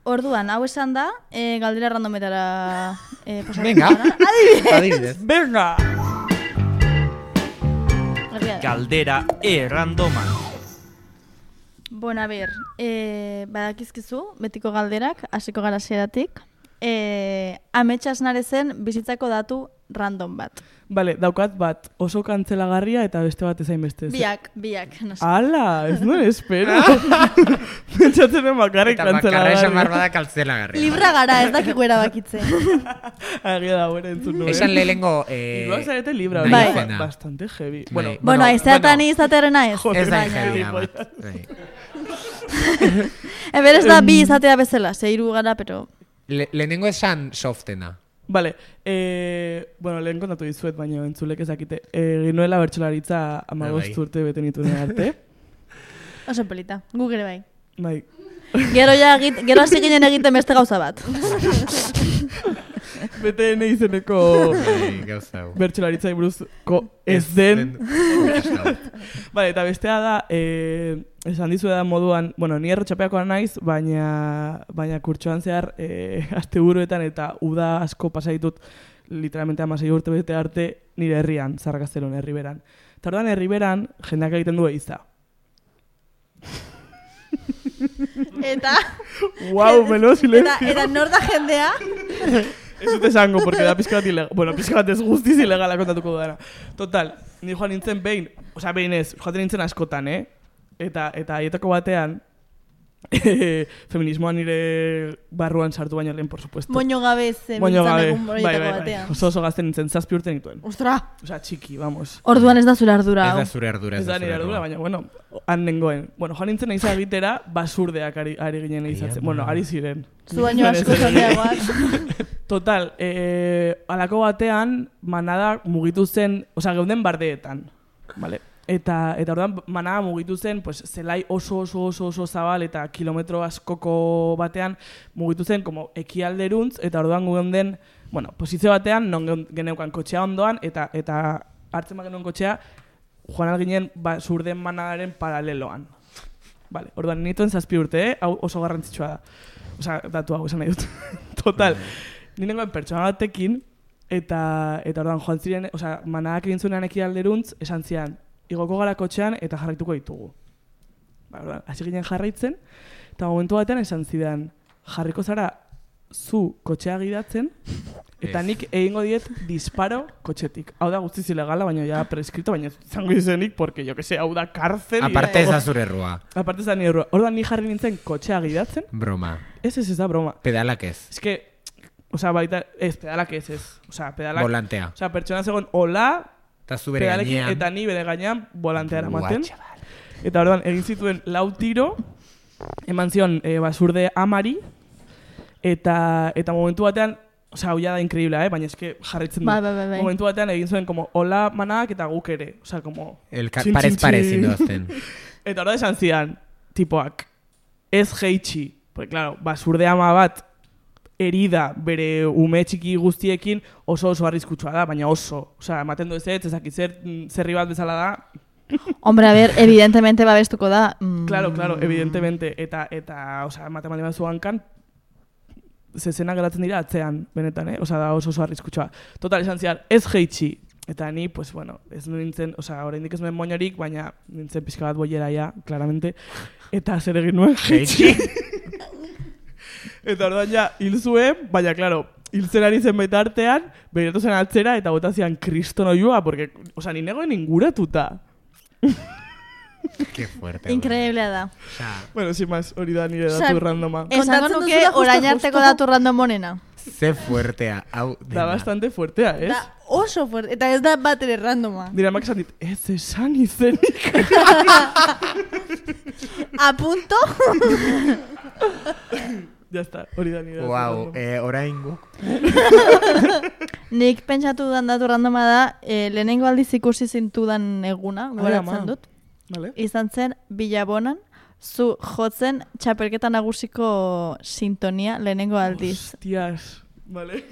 Orduan, hau esan da, galdera randometara pasatu. Venga, adibidez. Venga! Galdera randoma. Bueno, a ver, badakizkizu, betiko galderak, hasiko gara hasieratik. Ametsa Asnarezen bizitzako datu random bat. Bale, daukat bat oso kantzelagarria eta beste bat ezain beste. Biak, no sé. Ala, ez nuen espero. Pentsatzen den bakarrik kantzelagarria. Eta bakarra esan barbada kantzelagarria. Libra gara, ez dakiko erabakitzen. Agia da, buena entzun nuen. Esan lehenengo... Iruak zarete libra, bastante heavy. Bueno, aizeatan izatearena ez. Ez da heavy, amat. Eber ez da bi izatea bezala, 6 gara, pero... Lehenengo esan softena. Vale, lehen kontatu dizuet, baina entzulek ezakite. Ginuela bertxolaritza 15 urte bete nituen arte. Oso pelita, gu gere bai. Bai. Gero hasi ginen egiten beste gauza bat. BTN izeneko bertxolaritzai buruzko ez den. Vale, eta bestea da, esan dizu da moduan, ni errotxapeakoa naiz, baina kurtsoan zehar asteburuetan eta uda asko pasaitut literalmente 16 urte bete arte nire herrian, Zarrakasteron, Herriberan. Eta orduan Herriberan jendeak egiten du eiza. Eta... Wow, melo silencio. Eta nor da jendea? Ez dut esango, porque da pizka bat ilegal. Bueno, pizka bat ez guztiz ilegala kontatuko dara. Total, ni joan nintzen behin, joaten nintzen askotan, Eta aietako batean, feminismoan nire barruan sartu baino lehen, por supuesto. Moño gabe zenbitzan egun aietako batean. Oso gazten nintzen, 7 urte nituen. Ostra! Osa, txiki, vamos. Orduan ez da zure ardura. Ez da zure ardura. Ez da nire ardura, baina, han nengoen. Joan nintzen eiza egitera, basurdeak ari ginen eizatzen. Ari ziren. Zu baino asko zondeagoak. Total, alako batean, manada mugitu zen, geunden bardeetan, vale? Eta orduan manada mugitu zen, pues, zelai oso zabal eta kilometro askoko batean mugitu zen, como ekialderuntz, eta orduan geunden, posizio batean, non geneukan kotxea ondoan, eta hartzen genuen kotxea, joan alginen zurden manadaren paraleloan. Vale, orduan nituen 7 urte, hau oso garrantzitsua da. Datu hau esan nahi dut. Total, ninengoen pertsona batekin, eta orduan joan ziren, manadak egin zuenean ekialderuntz, esan zian, igoko gara kotxean eta jarraituko ditugu. Orduan, hasi ginen jarraitzen, eta momentu batean esan zidan, jarriko zara zu kotxea gidatzen, eta nik egingo diet disparo kotxetik. Hau da guztiz ilegala, baina ja preskripto, baina zango izenik, porque jo que se, hau da karzel. Aparte ez da zure errua. Aparte ez da nire errua. Orduan, ni jarri nintzen kotxea gidatzen. Broma. Ez da broma. Pedalak ez. Ez que, baita, pedalak ez. Pedalak. Volantea. Pertsona zegoen hola, eta zu bere gainean. Eta ni bere gainean volantea eramaten. Eta orduan, egin zituen 4 tiro, eman zion basurde amari, eta momentu batean, osea, hau ja da increíble, baina eske jarritzen du. Bai. Momentu batean egin zuen, como, hola manak eta guk ere. Osea, como... Parez zindoazten. Eta hori esan zidan, tipoak, ez jeitxi. Porque, claro, basurde ama bat, herida bere ume txiki guztiekin oso arriskutsua da, baina oso. Osea, ematen du ezakit zerri bat bezala da. Hombre, a ver, evidentemente babestuko da. Claro, evidentemente. Eta osea, ematen bali zu hankan, zezena geratzen dira atzean, benetan, Osea, da oso arriskutsua. Total, esan ziar, ez jeitxi. Eta ni, pues bueno, ez nintzen, osea, oraindik ez nuen moñorik, baina nintzen pixka bat boiera ja, claramente. Eta zer egin nuen jeitxi. Eta orduan ja, hil zuen, baina, claro, hil zen ari zen baita artean, begiratu zen atzera eta bota zian kristono joa, porque, osea, ni negoen inguratuta. Qué fuerte. Increíblea da. Bueno, sin más, hori da nire datu randoma. Esango nuke orain arteko datu random honena. Ze fuertea. Da bastante fuertea, ez? Da oso fuerte. Eta ez da bat ere randoma. Dira, mak esan dit, ez esan izenik. A punto. Ya está, hori da nire datu Wow, randoma. orain guk. Nik pentsatu dudan datu randoma da, lehenengo aldiz ikusi zintudan eguna, goratzen dut. Vale. Izan zen, Bilabonan, zu jotzen txapelketa nagusiko sintonia lehenengo aldiz. Hostias, vale.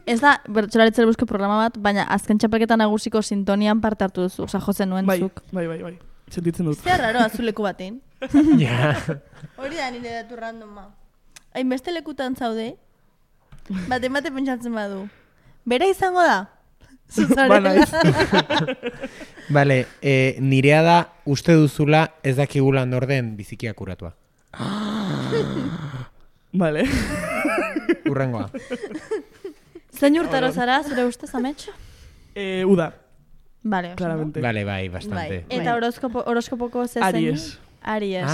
Ez da, bertsolaritzera busko programa bat, baina azken txapelketa nagusiko sintonian parte hartu duzu, oza, jotzen nuen zuk. Bai. Sentitzen dut. Zer raro, azuleku batein. Ja. Hori da nire datu randoma. Hainbeste lekutan zaude, bate pentsatzen badu. Bera izango da? Zuzarela. Vale, nirea da uste duzula ez dakigula norden bizikia kuratua. Vale. Urrengoa. Zein urtaro zara, zure ustez, amets? Uda, Vale, claramente. Vale, bai, bastante. Eta horoskopoko zezen? Aries. Aries.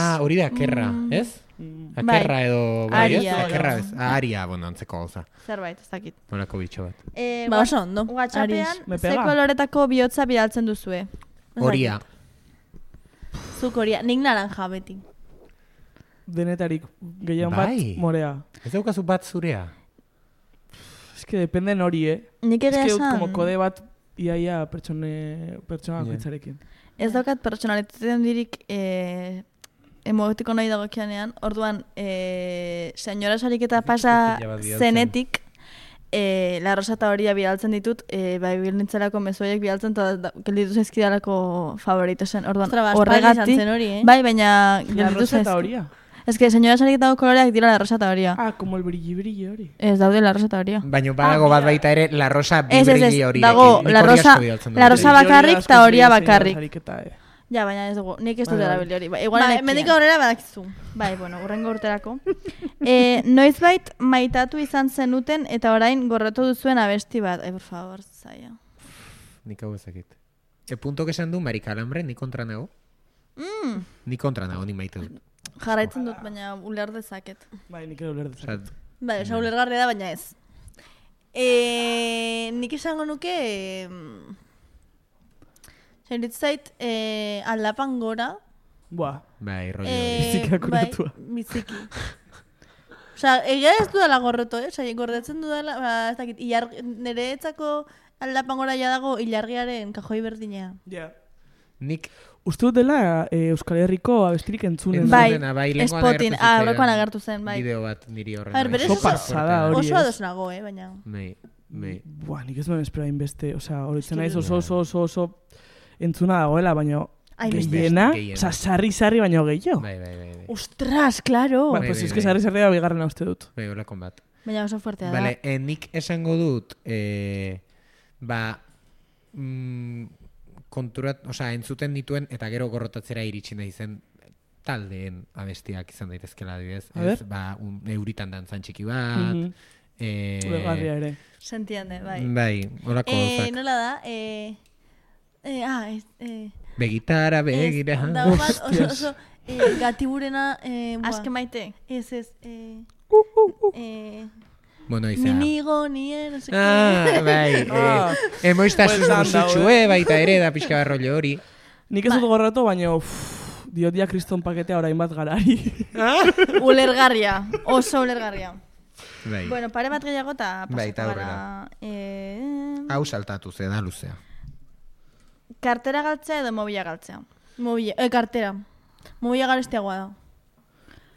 Akerra, ez? Bai. Akerra edo, bai, ez? Aria. Akerra, ez? Aria, bueno, antzeko gauza. Zerbait, ez dakit. Molako bitxo bat. Ba, oso ondo. WhatsAppean, Me ze pega. koloretako bihotza bidaltzen duzue? Horia. Zuk horia, nik naranja beti. Denetarik gehien Bai. bat morea. Ez daukazu bat zurea? Es que dependen hori, Nik Es egia que esan, como kode bat iaia pertsona bakoitzarekin. ez daukat pertsonalitate handirik emotiko nahi dagokianean, orduan, senyora sariketa pasa Pila bat bidaltzen. zenetik, la rosa eta horia bidaltzen ditut, bai bilnintzerako mezuaiek bidaltzen, eta gelditu zaizkidalako favorito zen, orduan, horregatik, bai, baina La gelditu rosa eta zaizkidalako. horia. Ez que senyora sariketako koloreak dira la rosa eta horia. Ah, como el brilli hori. Ez daude la rosa eta horia. Baina badago bat baita ere, la rosa Ez, bibrilli hori. dago la rosa bakarrik eta horia bakarrik. Ja, baina ez dugu, nik ez dut Bai, bai. erabili hori. Igual mendik aurrera badakizu. Bai, bueno, urrengo urterako. Noizbait maitatu izan zenuten eta orain gorrotu duzuen abesti bat. Por favor, zaila. Nik hau ezakit. Puntok esan du Marika Alambre, ni kontra nago? Ni kontra nago, ni maite dut. Jarraitzen dut, baina uler dezaket. Bai, nik ere uler dezaket. Osea, Bai, osa ulergarria da, baina ez. Nik esango nuke... Zairit zait, aldapan gora. Buah. bai, rollo eh, hori. Biziki akuratua. Bai, biziki. Osa, egia ez dudala gorroto, Osa, gordetzen dudala, ez dakit, nire etzako aldapan gora ja dago ilargiaren kajoi berdinea. Ja. Nik Uste dut dela Euskal Herriko abestirik entzunen. Bai, bai, lehengoan Spotin, agertu zitzaidan aurrekoan agertu zen, bai. Bideo bat niri horren. A ber, berez Oso pasada hori. Oso ez. ados nago, baina... Bai. Buah, nik ez nuen espera inbeste. Osea, horitzen Eske naiz oso entzuna dagoela, baina Ai, beste. gehiena, Gehiena. osea, sarri baino gehiago. Bai. Ostras, claro! Bueno, pues es que sarri da bigarrena uste dut. Bai, holakon bat. Baina oso fuertea da. Vale, nik esango dut, konturat, osea, entzuten dituen eta gero gorrotatzera iritsi nahi zen taldeen abestiak izan daitezkela adibidez. A ber. Euritan dantzan txiki bat. Ulergarria ere. Se entiende, bai. Bai, holako gauzak. Nola da? Begitara, begira. Dago bat oso gatiburena... Aske maite. Ez. Bueno, izan. Minigo, nien, no sé Bai. Emoiztasun Bueltan musutxue, baita ere, da pixka rollo hori. Nik ez dut gorratu, baina diodia kriston paketea orain bat garari. Ulergarria, oso ulergarria. Bai. Bueno, pare bat gehiago eta Bai, eta pasako gara. Hau saltatu ze da luzea. Kartera galtzea edo mobila galtzea? Kartera. Mobila garestiagoa da.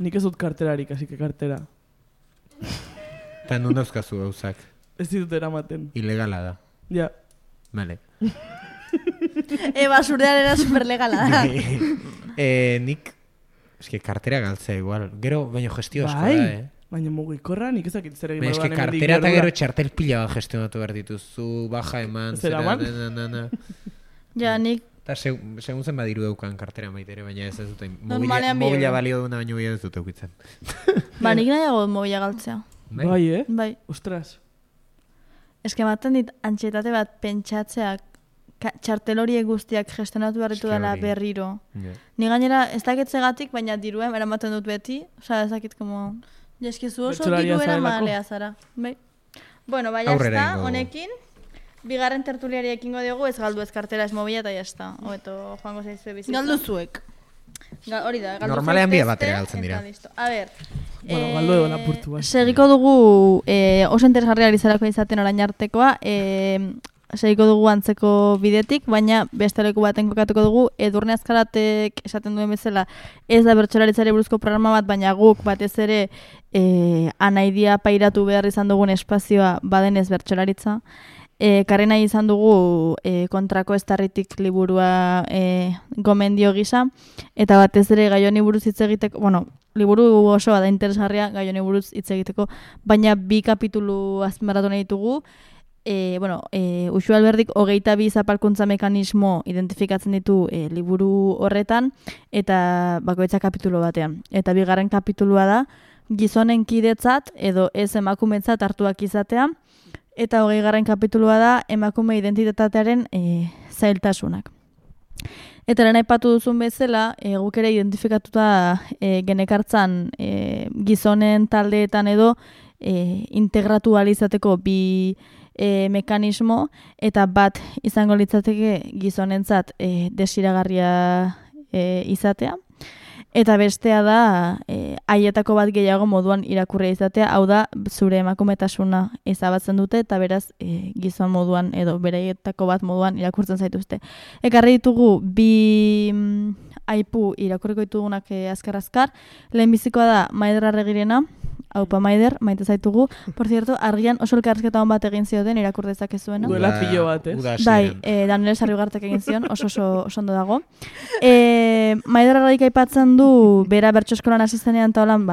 Nik ez dut karterarik, así que kartera. Eta nun dauzkazu gauzak. Ez ditut eramaten. Ilegala da. Ja. Vale. Basurdean era superlegala da. Nik, eske kartera galtzea igual. Gero, baino gestio asko Bai. da, Baina mugikorra nik ezakit zer egin Baina eske kartera eta gero txartel pila bat gestionatu behar dituzu, baja eman, Zeraman? Ja, nik Eta segun zen badiru daukan kartera maitere, baina ez dute. Normalean Mobila bi balio duna, baina ez dute eukitzen. Ba, nik nahiago mobila galtzea. Bai, Bai. Ostras. Eske maten dit antxetate bat pentsatzeak txartel horiek guztiak gestionatu berritu dela berriro. Ni gainera ez dakitzegatik, baina diruen eramaten dut beti. Osea, ez dakit como... Eskizu oso diru eramalea zara. Bai. Bueno, bai, jazta, honekin. Bigarren tertuliari ekingo diogu, ez galdu ez kartera ez mobila eta jazta. Oeto, joango zaizue bizitza. Galdu zuek. Hori da, galdu normalean bia batera galtzen dira. A ber. Bueno, galdu egon apurtu bat. Segiko dugu, oso interesgarria izarako izaten orain artekoa, segiko dugu antzeko bidetik, baina beste leku baten kokatuko dugu, Edurne Azkaratek esaten duen bezala, ez da bertsolaritzari buruzko programa bat, baina guk batez ere anaidia pairatu behar izan dugun espazioa badenez bertsolaritza. Karri nahi izan dugu kontrako estarritik liburua gomendio gisa, eta batez ere gai honi buruz hitz egiteko, bueno, liburu osoa da interesgarria gai honi buruz hitz egiteko, baina 2 kapitulu azpimarratu nahi ditugu. Uxu Alberdik 22 zapalkuntza mekanismo identifikatzen ditu liburu horretan, eta bakoitza kapitulu batean. Eta 2. kapitulua da, gizonen kidetzat edo ez emakumetzat hartuak izatea, eta 20. kapitulua da, emakume identitatearen zailtasunak. Eta lehen aipatu duzun bezala, guk ere identifikatuta genekartzan gizonen taldeetan edo integratu alizateko 2 mekanismo, eta bat izango litzateke gizonentzat desiragarria izatea, eta bestea da haietako bat gehiago moduan irakurria izatea, hau da zure emakumetasuna ezabatzen dute, eta beraz gizon moduan edo beraietako bat moduan irakurtzen zaituzte. Ekarri ditugu 2 aipu irakurriko ditugunak azkar-azkar. Lehenbizikoa da Maider Arregirena, Aupa Maider, maite zaitugu. Por cierto, argian oso elkarrizketa hon bat egin zioten irakur dezakezuena. Duela pilo bat, ez? Bai, Daniel Sarriugartek egin zion, oso ondo dago. Maider Arregirik aipatzen du, bera bertso eskolan hasi zenean ta holan,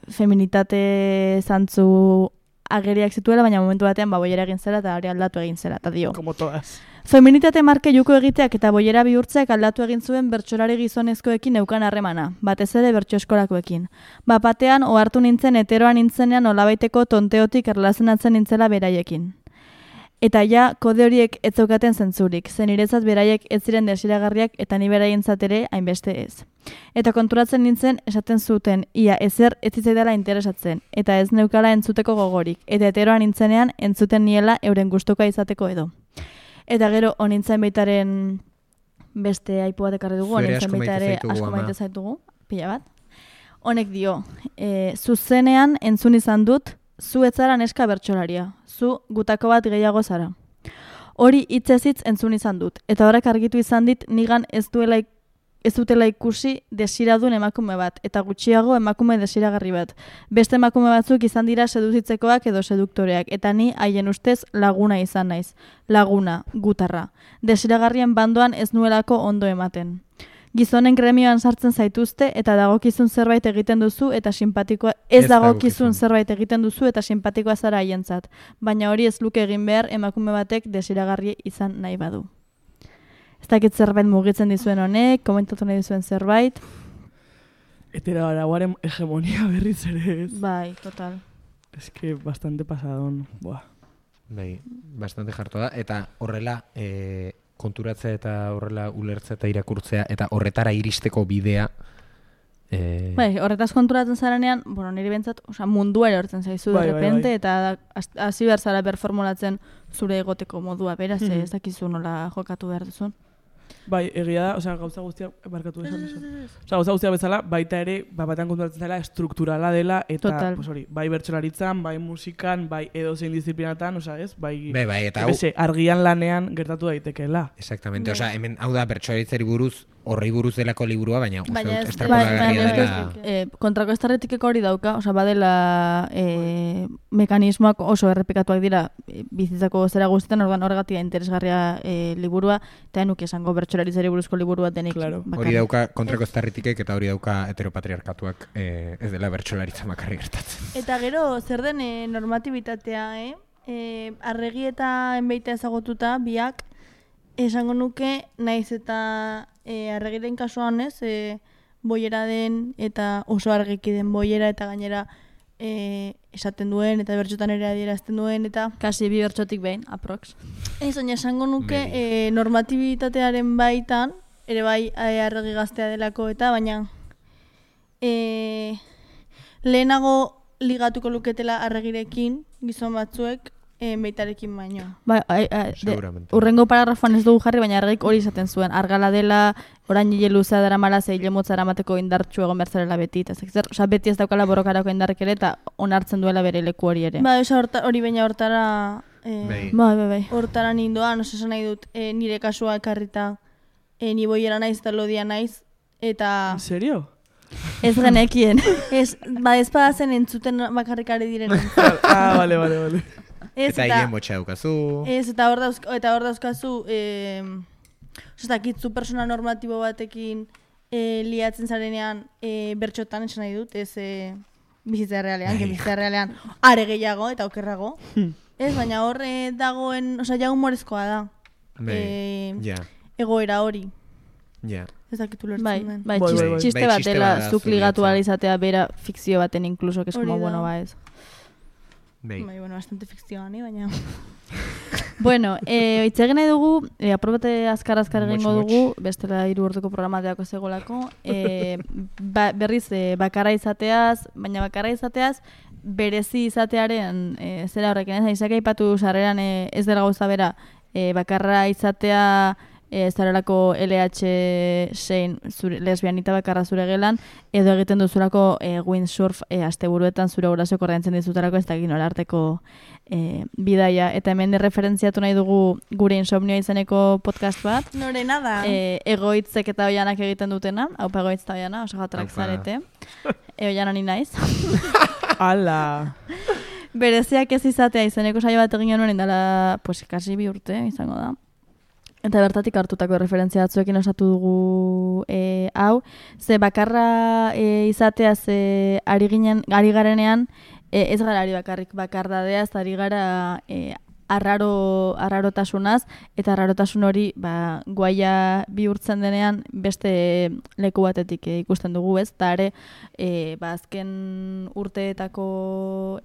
feminitate zantzu ageriak zituela, baina momentu batean boiera egin zela eta hori aldatu egin zela, eta dio. Como todas. Feminitate marke juko egiteak eta boiera bihurtzeak aldatu egin zuen bertsolari gizonezkoekin neukan harremana, batez ere bertso eskolakoekin. Batean ohartu nintzen heteroa nintzenean nolabaiteko tonteotik erlazionatzen nintzela beraiekin. Eta ja, kode horiek ez zeukaten zentzurik, zen niretzat beraiek ez ziren desiragarriak eta ni beraientzat ere hainbeste ez. Eta konturatzen nintzen esaten zuten, ia ezer ez zitzaidala interesatzen, eta ez neukala entzuteko gogorik, eta heteroa nintzenean entzuten niela euren gustukoa izateko edo. Eta gero, honintzen baitaren beste aipu bat ekarri dugu, honintzen baitare asko maite zaitugu, pila bat. Honek dio, zuzenean entzun izan dut, zu ez zara neska bertsolaria, zu gutako bat gehiago zara. Hori hitzez-hitz entzun izan dut, eta horrek argitu izan dit nigan ez dutela ikusi desiradun emakume bat, eta gutxiago emakume desiragarri bat. Beste emakume batzuk izan dira seduzitzekoak edo seduktoreak, eta ni haien ustez laguna izan naiz. Laguna, gutarra. Desiragarrien bandoan ez nuelako ondo ematen. Gizonen gremioan sartzen zaituzte eta dagokizun zerbait egiten duzu eta simpatikoa ez dagokizun zerbait egiten duzu eta simpatikoa zara haientzat, baina hori ez luke egin behar emakume batek desiragarri izan nahi badu. Ez dakit zerbait mugitzen dizuen honek, komentatu nahi dizuen zerbait. Etera arauaren hegemonia berriz ere ez. Bai, total. Es que bastante pasadón. Buah. Bai, bastante jartu da, eta horrela konturatzea eta horrela ulertzea eta irakurtzea eta horretara iristeko bidea. Bai, horretaz konturatzen zarenean, niri bentsat, mundua erortzen zaizu de repente, eta hasi behar zara berformulatzen zure egoteko modua, beraz, ez dakizu nola jokatu behar duzun. Bai, egia da, osea, gauza guztiak barkatu esan. Osea, gauza guztiak bezala, baita ere, batean konturatzen dela, estrukturala dela, eta, pues hori, bai bertsolaritzan, bai musikan, bai edozein disiplinatan, osea, ez? Bai, eta argian lanean gertatu daitekeela. Exactamente, osea, hemen, hau da, bertsolaritzari buruz, horri buruz delako liburua, baina kontrako estarretikeko hori dauka, osea, badela mekanismoak oso errepikatuak dira bizitzako zera guztietan, orduan horregatik interesgarria liburua, eta nuke esango bertsolaritzari buruzko liburu bat denik. Claro. Hori dauka kontrako estarritikek eta hori dauka heteropatriarkatuak ez dela bertsolaritza makarri gertatzen. Eta gero, zer den normatibitatea, arregi eta enbeita ezagotuta, biak, esango nuke, naiz eta arregiren kasuan ez, boiera den eta oso argiki den boiera eta gainera esaten duen eta bertxotan ere adierazten duen eta kasi 2 bertxotik behin, aprox. Ez, baina esango nuke normatibitatearen baitan, ere bai arregi gaztea delako eta baina lehenago ligatuko luketela arregirekin gizon batzuek beitarekin baino. Urrengo paragrafoan ez dugu jarri, baina argik hori izaten zuen. Argala dela, orain hile luzea dara mala, zeile motza eramateko indartxu egon berzarela beti. Osa, beti ez daukala borrokarako indarrik ere, eta onartzen duela bere leku hori ere. Ba, hori baina hortara... Bai. Hortara nindoan, oso esan nahi dut, nire kasua ekarrita, ni boiera naiz eta lodia naiz, eta... En serio? Ez genekien. Ez badazen entzuten bakarrikare diren. Vale. Eta hien botxa daukazu. Ez, eta hor dauzkazu, zu persona normatibo batekin liatzen zarenean bertxotan esan nahi dut, ez bizitza realean, are gehiago eta okerrago. Ez, baina hor dagoen, ja humorezkoa da. Egoera hori. Ez dakitu lertzen den. Bai, txiste bat dela zuk ligatu izatea bera fikzio baten inkluso, que es como bueno ba ez. Bastante fikzioa ni, baina... Bueno, itzegin nahi dugu, aprobate azkar egingo dugu, bestela 3 orduko programateako zegolako, berriz bakarra izateaz, baina bakarra izateaz, berezi izatearen zera horrekin, izak aipatu sarreran ez dela gauza bera, bakarra izatea, zarelako LH6 lesbianita bakarra zure gelan, edo egiten duzulako windsurf asteburuetan zure guraso korraintzen dizutarako ez dakit nola arteko bidaia. Eta hemen referentziatu nahi dugu gure insomnioa izeneko podcast bat. Norena da. Egoitzek eta oianak egiten dutena, haupa egoitz eta oiana, oso jatrak zarete. Oiana ni naiz. Ala! Bereziak ez izatea izeneko saio bat egin genuen indala, pues, kasi 2 urte izango da. Eta bertatik hartutako referentzia batzuekin osatu dugu hau. Ze bakarra izateaz ari garenean, ez gara ari bakarrik bakardadeaz, ari gara arrarotasunaz, eta arrarotasun hori guaia bihurtzen denean beste leku batetik ikusten dugu, ez? Eta ere, azken urteetako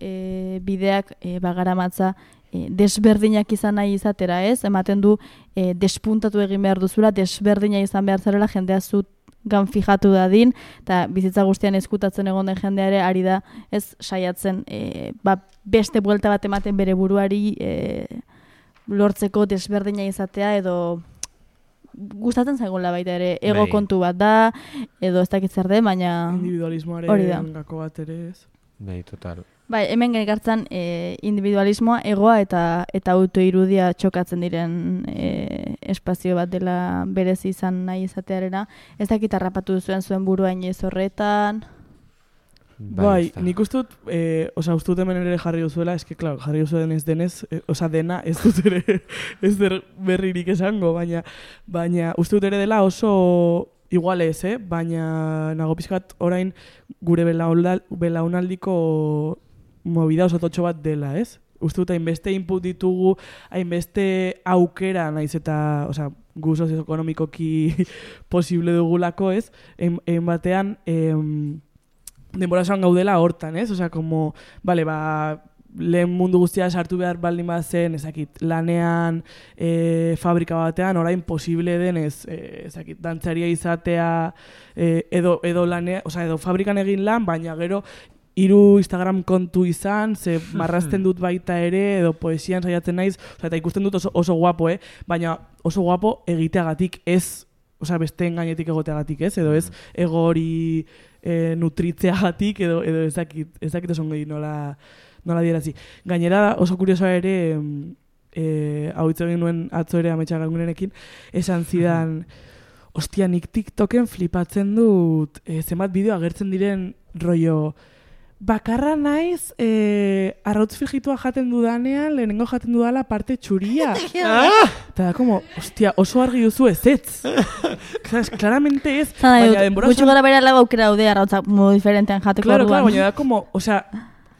bideak bagaramatza desberdinak izan nahi izatera, ez? Ematen du despuntatu egin behar duzula, desberdina izan behar zarela jendea gan fijatu dadin, eta bizitza guztian ezkutatzen egon den jendeare ari da, ez saiatzen beste buelta bat ematen bere buruari lortzeko desberdina izatea, edo gustatzen zaigula baita ere, ego kontu bat da, edo ez dakit zer den, baina individualismoaren gako bat ere ez. Bai, total. Bai, hemen gaikartzen individualismoa, egoa eta autoirudia txokatzen diren espazio bat dela berezi izan nahi izatearena. Ez dakit harrapatu zuen burua inoiz horretan. Bai, nik ustut, ustut hemen ere jarri duzuela, eske, klar, jarri duzuen ez denez, dena ez dut ere, ez berririk esango, baina ustut ere dela oso igual ez, baina nago pizkat orain gure belaunaldiko movida oso totxo bat dela, ez? Uste dut, hainbeste input ditugu, hainbeste aukera, naiz eta, gu sozioekonomikoki posible dugulako, ez? Egin batean, denbora zoan gaudela hortan, ez? Como, lehen mundu guztia sartu behar baldin bat zen, ezakit, lanean, fabrika batean, orain posible denez, ezakit, dantzaria izatea, edo lanea, edo fabrikan egin lan, baina gero, hiru Instagram kontu izan, ze marrazten dut baita ere, edo poesian saiatzen naiz, eta ikusten dut oso guapo, baina oso guapo egiteagatik ez, besteen gainetik egoteagatik ez, edo ez ego hori nutritzeagatik, edo ez dakit oso ongi nola dierazi. Gainera oso kuriosoa ere, hau hitz egin nuen atzo ere Ametsa Gangunenekin, esan zidan, ostia, nik TikToken flipatzen dut zenbat bideo agertzen diren rollo, bakarra naiz arrautz frijitua jaten dudanean, lehenengo jaten dudala parte txuria. Eta da, como, ostia, oso argi duzu ez. Claramente ez. Baina denbora... Gutxo gara bera lago aukera daude arrautzak modu diferentean jateko orduan. Claro, baina da, como,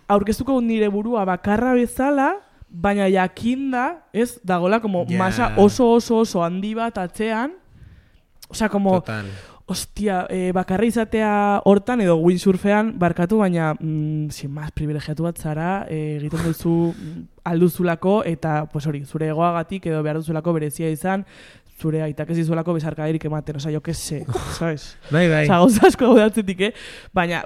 aurkeztuko nire burua bakarra bezala, baina jakinda, ez, dagola, como, masa oso handi bat atzean, como... Total. Ostia, bakarra izatea hortan edo windsurfean barkatu, baina sin más privilegiatu bat zara, egiten duzu alduzulako eta hori, zure egoagatik edo behar duzulako berezia izan, zure aitak ez dizuelako besarkaderik ematen, jo que se, sabes? Bai. Gauza asko gaudatzetik, baina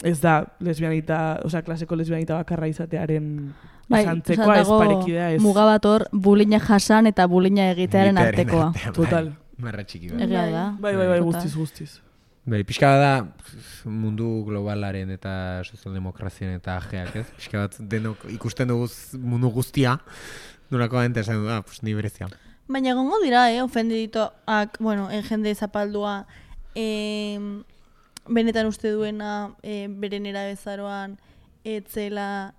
ez da lesbianita, klaseko lesbianita bakarra izatearen santzekoa, ez parekidea ez. Muga bat hor, bulina jasan eta bulina egitearen artekoa. Total. Marra txiki bat. Egia da. Bai, guztiz. Bai, pixka bat da mundu globalaren eta sozialdemokrazien eta ajeak, ez? Pixka bat denok ikusten dugu mundu guztia, nolako da esan du, pues ni berezia. Baina egongo dira, ofendiditoak, jende zapaldua, benetan uste duena, beren erabezaroan, etzela,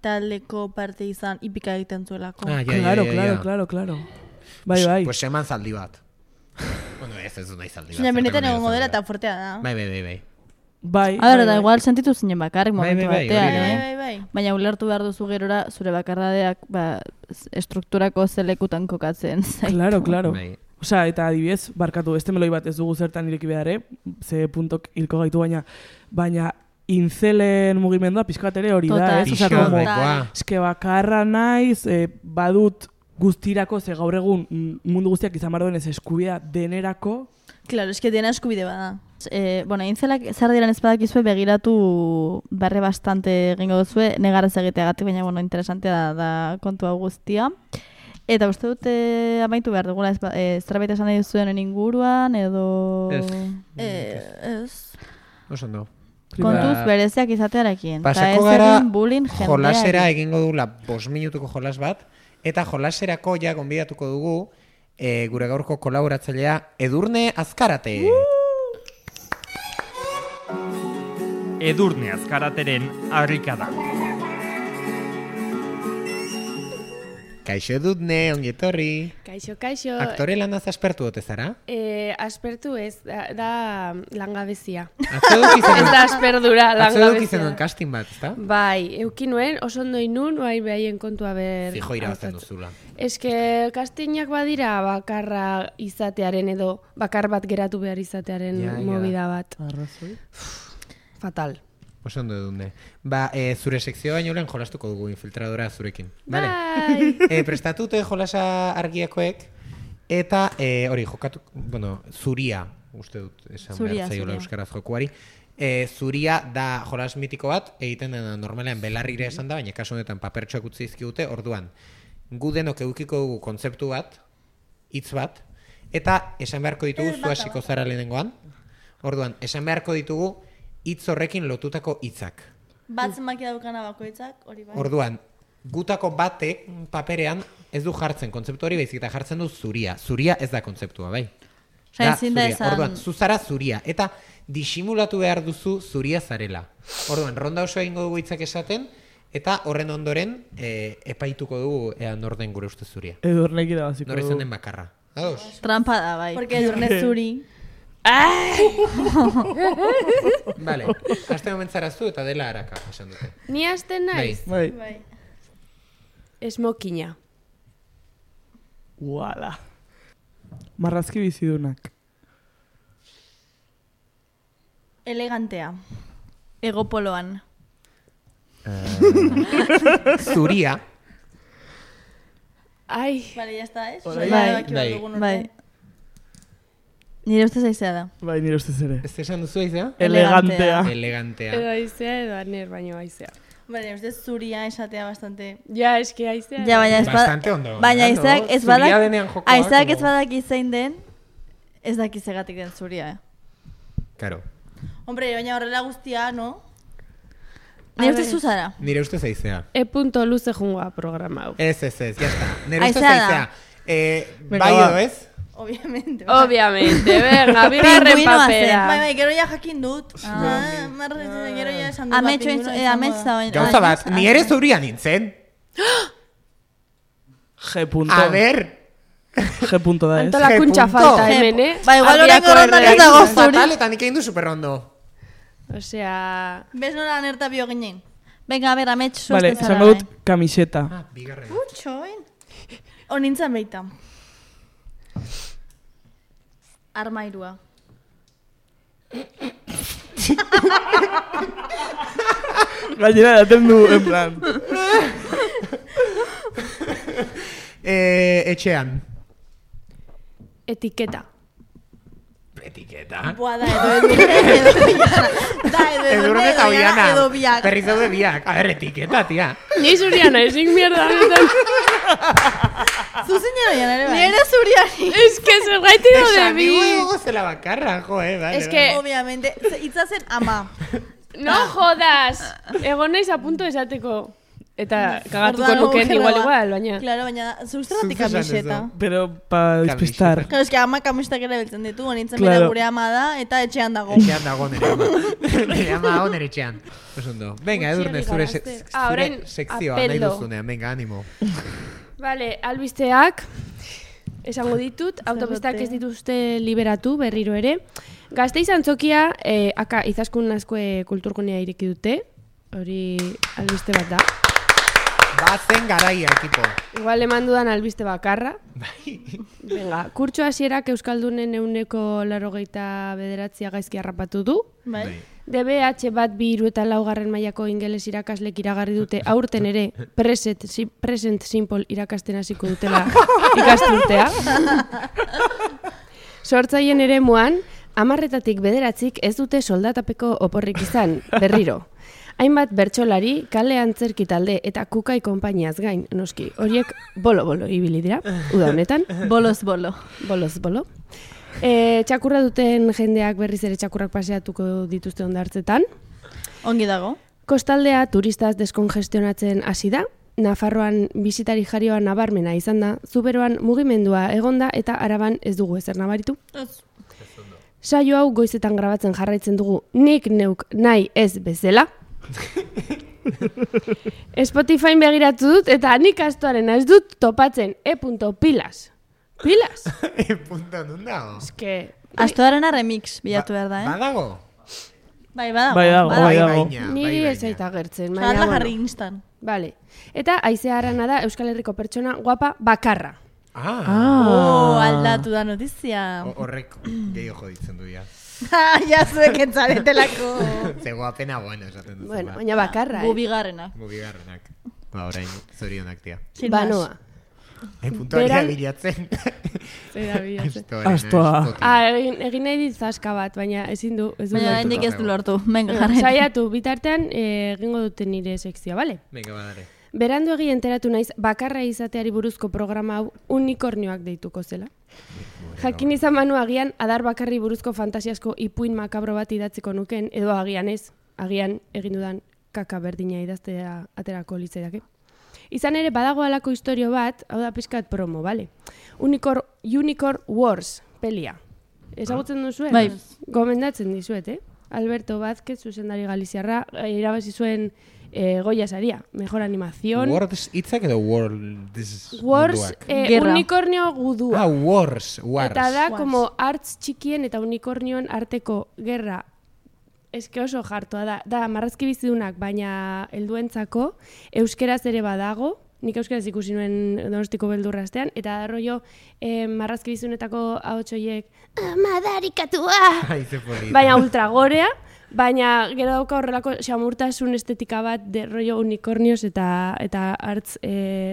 taldeko parte izan, ipika egiten zuelako. Claro. Bai. Pues eman zaldi bat. Ez du nahi zaldi bat. Baina benetan egongo dela eta fuertea da. Bai. Da igual sentitu zinen bakarrik momentu batean, Bai. Baina ulertu behar duzu gerora zure bakardadeak estrukturako zelekutan kokatzen zaitu. Claro. Eta adibidez, barkatu, beste meloi bat ez dugu zertan ireki behar, ze puntok hilko gaitu baina incelen mugimendua pixkat ere hori da, ez? Eske bakarra naiz, badut guztirako, ze gaur egun mundu guztiak izan behar duen ez eskubidea denerako. Claro, eske dena eskubide bada. Intzelak zer diren ez badakizue begiratu barre bastante egingo duzue, negaraz egiteagatik, baina interesantea da kontu hau guztia. Eta uste dute amaitu behar dugula, zerbait esan nahi duzuen inguruan, edo... Ez. Osondo. Kontuz bereziak izatearekin. Pasako gara jolasera egingo dugula 5 minutuko jolas bat, eta jolaserako ja gonbidatuko dugu gure gaurko kolaboratzailea Edurne Azkarate. Edurne Azkarateren harrikada. Kaixo Edurne, ongi etorri. Kaixo. Aktore lanaz aspertu ote zara? Aspertu ez, da langabezia. Ez da asperdura, langabezia. Atzo zenuen casting bat, ezta? Bai, eukinuen, oso ondo inun, behaien kontua ber... Fijo irabazten duzula. Eske castingak badira bakarra izatearen edo bakar bat geratu behar izatearen movida bat. Arrazoi. Fatal. Oso ondo Edurne. Zure sekzioa baino lehen jolastuko dugu infiltradora zurekin. Bai! Prestatute jolasa argiakoek, eta hori jokatu, zuria, uste dut, esan behar zaiola euskaraz jokuari. Zuria da jolas mitiko bat, egiten dena normalean belarrire esan da, baina kasu honetan papertxoak utzi dizkigute, orduan, gu denok edukiko dugu kontzeptu bat, hitz bat, eta esan beharko ditugu zu hasiko zara lehenengoan. Orduan, esan beharko ditugu hitz horrekin lotutako hitzak. Bat zenbaki daukana bakoitzak, hori bai. Orduan, gutako batek paperean ez du jartzen kontzeptu hori, baizik eta jartzen du zuria. Zuria ez da kontzeptua, bai? Da zuria. Orduan, zuzara zuria. Eta disimulatu behar duzu zuria zarela. Orduan, ronda oso egingo dugu hitzak esaten, eta horren ondoren epaituko dugu norden gure uste zuria. Edurnek irabaziko du. Norezan den bakarra. Ados? Trampa da, bai. Porque Edurne zuri. Vale, haste momentzaraztu eta dela haraka, esan dute. Ni hasten naiz? Bai. Esmokina. Uala. Marrazki bizidunak. Elegantea. Egopoloan. Zuria. Ai. Vale, ya está, ¿eh? Bai. Nire ustez aizea da. Bai, nire ustez ere. Ez esan duzu aizea? Elegantea. Elegantea. Edo aizea edo aner baino aizea. Baina, ustez zuria esatea bastante... Ja, eske aizea. Ja, baina ez Bastante ondo. baina aizeak ez Zuria badak, denean jokoa, aizeak ez como- badaki zein den, ez daki zegatik den zuria, Claro. Hombre, baina horrela guztia, no? Nire ustez zuzara. Nire ustez aizea. Punto luze jungoa programa hau. Ez, jazta. Nire ustez Aizea da. aizea. Venga, Bai va. edo ez? Obviamente. Obviamente, venga, bigarren Pingüinoa zen. papera. Bai, gero ja jakin dut. Gero ja esan dut. Ametxo pingüinoa da. Gauza bat, ni ere zuria nintzen. G punto. A ber, G punto da ez. Antolakuntza G falta punto. hemen, Ba, igual Abiako oraingo rondan ez erregai. dago fatal zuri. eta nik egin du superrondo. Osea, Bez nola anerta bio ginen. Venga, a ver, amets Vale, susten esango dut kamiseta. Ah, bigarren. Txoin. Onintzen beita. Armairua. Gainera daten du, en plan. Etxean. etiketa. Etiketa. Boa da, edo biana. Da, Edurne eta Oiana. edo biak. Berriz daude biak. A ber, etiketa, tia. Ni zuriana, ezin mierda honetan. Zuzen jero ere bai. Nire zuriari. Ez que zergaiti daude Esan, bi. nigu egongo zela bakarra, jo, vale. Es que- Obviamente, hitza zen ama. No jodas. Egon naiz a punto esateko. Eta kagatuko Orduan nuken agujero igual bat. igual, baina. Claro, baina zuzeratik Zuk esan kamiseta. duzu. Pero pa despistar. Claro, eske ama kamisetak ere beltzen ditu, onintzen Claro. bera gure ama da, eta etxean dago. Etxean dago nire ama. Nire ama dago nire etxean. Osondo. Venga, Edurne, zure, Gutxiegi orain sekzioa nahi apeldo. duzunean. Venga, animo. Vale, albisteak esango ditut, autopistak ez dituzte liberatu berriro ere. Gasteiz antzokia, aka izaskun nazkoe kulturgunea ireki dute, hori albiste bat da. Bazen garaia, ekipo. Igual eman dudan albiste bakarra. Venga, kurtso hasierak Euskaldunen 189 gaizki harrapatu du. Bai. DBH bat 2 eta 4 mailako ingeles irakaslek iragarri dute aurten ere present simple irakasten hasiko dutela ikasturtea. Sortzaien ere muan, 10-etatik 9 ez dute soldatapeko oporrik izan, berriro. Hainbat bertsolari, kale antzerki talde eta kukai konpainiaz gain, noski, horiek bolo-bolo ibili dira, uda honetan. Boloz bolo. Boloz bolo. Txakurra duten jendeak berriz ere txakurrak paseatuko dituzte hondartzetan. Ongi dago. Kostaldea turistaz deskongestionatzen hasi da. Nafarroan bisitari jarioa nabarmena izan da, Zuberoan mugimendua egonda eta Araban ez dugu ezer nabaritu. Saio hau goizetan grabatzen jarraitzen dugu nik neuk nahi ez bezala. Spotify begiratu dut eta nik astoaren ez dut topatzen pilas. Pilas? Punta nun dago? Eske, Astoarena remix bilatu behar da, Badago? Bai, badago. Bai dago, bai dago. baina, niri bai, ez zaita gertzen. Jarla Baina, jarri bueno. instan. Vale. Eta Aizea Arana da Euskal Herriko pertsona guapa bakarra. Oh, aldatu da notizia. Horrek gehiago joditzen du, ja. Ja zuek entzaretelako. Zego apena bueno esaten duzu. Bueno, baina bakarra, Gu bigarrenak. Mugigarrenak. Ba, orain, zorionak, tia. Sin más. Banoa. Puntuaria Beran- bilatzen. Zera bilatzen. Astoa. Egin nahi dit zaska bat, baina ezin du. Ez du Baina lortu. hendik ez du lortu. Venga, jarren. Saiatu, bitartean egingo duten nire sekzioa, bale? Venga, badare. Berandu egi enteratu naiz bakarra izateari buruzko programa hau unikornioak deituko zela. Jakin izan manu agian adar bakarri buruzko fantasiasko ipuin makabro bat idatziko nuken, edo agian ez, agian egin dudan kaka berdina idaztea aterako litzaidake. Izan ere badago halako istorio bat, hau da pixkat promo, bale? Unicorn Wars pelia. Ezagutzen duzue? Bai. Gomendatzen dizuet, Alberto Vázquez, zuzendari galiziarra, irabazi zuen Goya saria, mejor animación. Words hitzak edo words Wars, munduak? Gerra. unikornio gudua. Ah, wars. Eta da, Wars. como artz txikien eta unikornioen arteko gerra. Eske oso jartua da. Da, marrazki bizidunak, baina helduentzako euskeraz ere badago. Nik euskeraz ikusi nuen Donostiko beldurra astean. Eta da, rollo, marrazki bizidunetako ahotsoiek madarikatua! Ai, ze polita. Baina ultragorea. Baina gero dauka horrelako xamurtasun estetika bat de rollo unikornios eta artz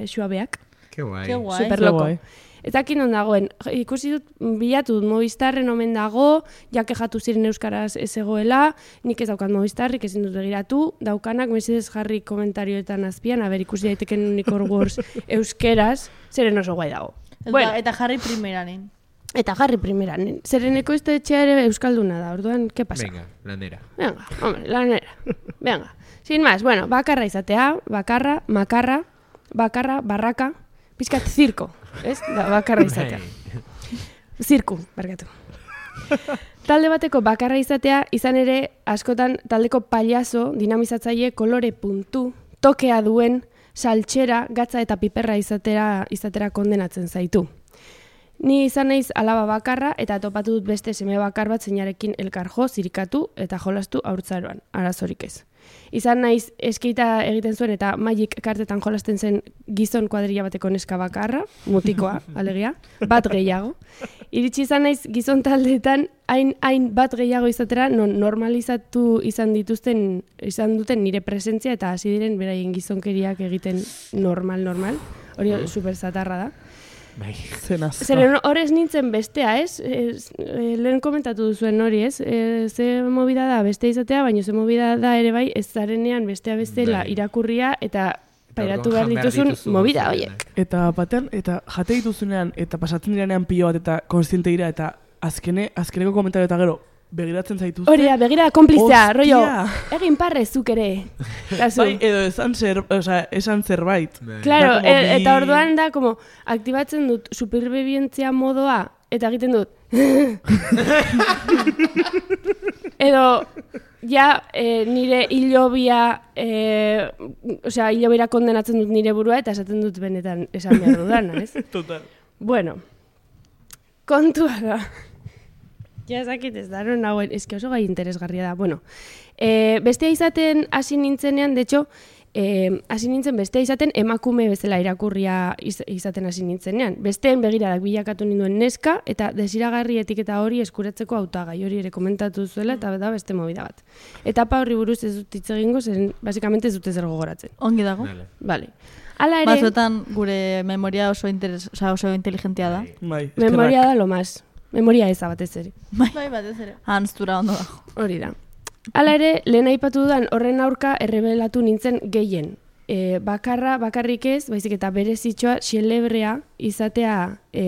suabeak. Ke guai. Ke guai. Superloko. Guai. Ez dakit non dagoen, ikusi dut, bilatu dut Movistarren omen dago, jake jatu ziren euskaraz ez egoela, nik ez daukat Movistarrik, ezin dut begiratu, daukanak mesedez jarri komentarioetan azpian, ikusi daiteken Unicorn Wars euskeraz, zeren oso guai dago. Bueno. Eta jarri primeranen. Eta jarri primeranen. Zereneko etxea ere euskalduna da, orduan, ¿qué pasa? Venga, lanera. Venga, hombre, lanera. Venga. Sin más, bueno, bakarra izatea, bakarra, makarra, bakarra, barraka, pizkat zirko, ez? Da, bakarra izatea. Zirku, barkatu. Talde bateko bakarra izatea, izan ere, askotan taldeko paliazo, dinamizatzaile, kolore puntu, tokea duen, saltxera, gatza eta piperra izatera kondenatzen zaitu. Ni izan naiz alaba bakarra eta topatu dut beste seme bakar bat zeinarekin elkarjo, zirikatu eta jolastu haurtzaroan, arazorik ez. Izan naiz eskeita egiten zuen eta Magic kartetan jolasten zen gizon kuadrilla bateko neska bakarra, mutikoa, alegia, bat gehiago. Iritsi izan naiz gizon taldeetan hain bat gehiago izatera normalizatu izan duten nire presentzia eta hasi diren beraien gizonkeriak egiten normal. Hori super zatarra da. Zeren horrez nintzen bestea, ez? Lehen komentatu duzuen hori, ez? Ze movida da beste izatea, baina ze movida da ere bai, ez zarenean bestea bestela irakurria eta pairatu behar dituzun movida horiek. Eta batean, eta jate dituzunean, eta pasatzen diranean pilo bat eta konstiente dira, eta azkeneko komentario eta gero, begiratzen zaituzte. Hori da, begira konplizea, rollo, egin parre zuk ere. Bai, edo esan zerbait. Claro, eta orduan da, como, aktibatzen dut superbibientzia modoa, eta egiten dut. Edo, ja, nire hilobia, hilobira kondenatzen dut nire burua, eta esaten dut benetan esan behar dudana, ez? Total. Bueno, kontua da. Ja, ezakit ez da, nagoen, eski oso gai interesgarria da. Bueno, bestea izaten hasi nintzenean, de hecho, hasi nintzen bestea izaten emakume bezala irakurria izaten hasi nintzenean. Besteen begiradak bilakatu ninduen neska, eta desiragarri etiketa hori eskuratzeko hautagai hori ere komentatu zuela, eta da beste movida bat. Etapa horri buruz ez dut hitz egingo, zen basikamente ez dute zer gogoratzen. Ongi dago. Vale. Hala ere... Batzuetan gure memoria oso inteligentia da. Memoria da lo más. Memoria eza batez ere. Bai, batez ere. Hanstura ondo dago. Hori da. Hala ere, lehen aipatu dudan horren aurka errebelatu nintzen gehien. Bakarrik ez, baizik eta berezitxoa xelebrea izatea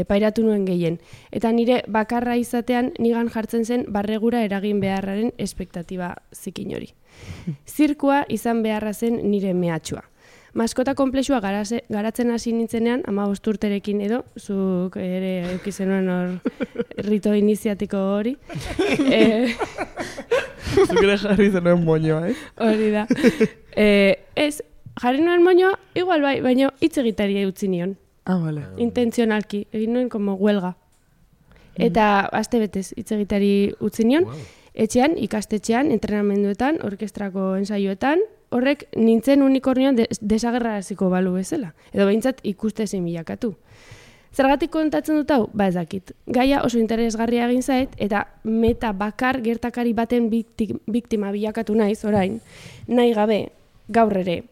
pairatu nuen gehien. Eta nire bakarra izatean nigan jartzen zen barregura eragin beharraren espektatiba zikin hori. Zirkua izan beharra zen nire mehatxua. Maskota komplexua garatzen hasi nintzenean, 15 urterekin edo, zuk ere eukizenuen hor rito iniziatiko hori. Zuk ere jarri zenuen moñoa, Hori da. Ez, jarri nuen moñoa, igual bai, baina hitz egitaria utzi nion. Vale. Intentzionalki, egin nuen como huelga. Eta aste betez hitz egitari utzi nion, etxean, ikastetxean, entrenamenduetan, orkestrako ensaioetan, horrek nintzen unikornioan desagerraraziko balu bezala. Edo behintzat ikustezin bilakatu. Zergatik kontatzen dut hau? Ba ez dakit. Gaia oso interesgarria egin zait, eta meta bakar gertakari baten biktima bilakatu naiz, orain, nahi gabe, gaur ere.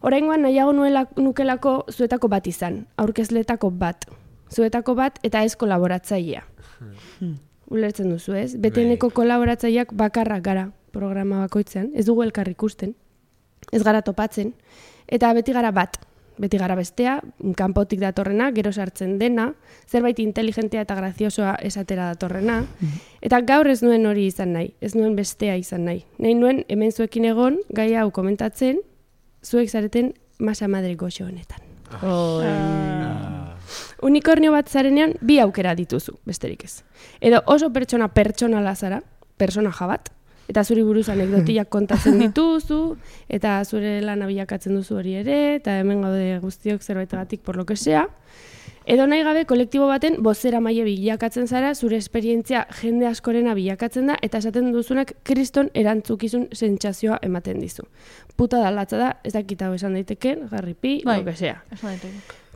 Oraingoan nahiago nukelako zuetako bat izan, aurkezletako bat. Zuetako bat eta ez kolaboratzailea. Ulertzen duzu ez? Beteneko kolaboratzaileak bakarrak gara programa bakoitzean, ez dugu elkar ikusten. Ez gara topatzen, eta beti gara bat, beti gara bestea, kanpotik datorrena, gero sartzen dena, zerbait inteligentea eta graziosoa esatera datorrena, eta gaur ez nuen hori izan nahi, ez nuen bestea izan nahi. Nahi nuen hemen zuekin egon, gai hau komentatzen, zuek zareten masa madre goxo honetan. Unikornio bat zarenean, bi aukera dituzu, besterik ez. Edo oso pertsonala zara, personaja bat, eta zuri buruz anekdotiak kontatzen dituzu, eta zure lana bilakatzen duzu hori ere, eta hemen gaude guztiok zerbaitegatik por lo que sea. Edo nahi gabe kolektibo baten bozera maile bilakatzen zara, zure esperientzia jende askorena bilakatzen da, eta esaten duzunak kriston erantzukizun sentsazioa ematen dizu. Puta da, latza da, ez dakit hau esan daiteken, garripi, lo que sea.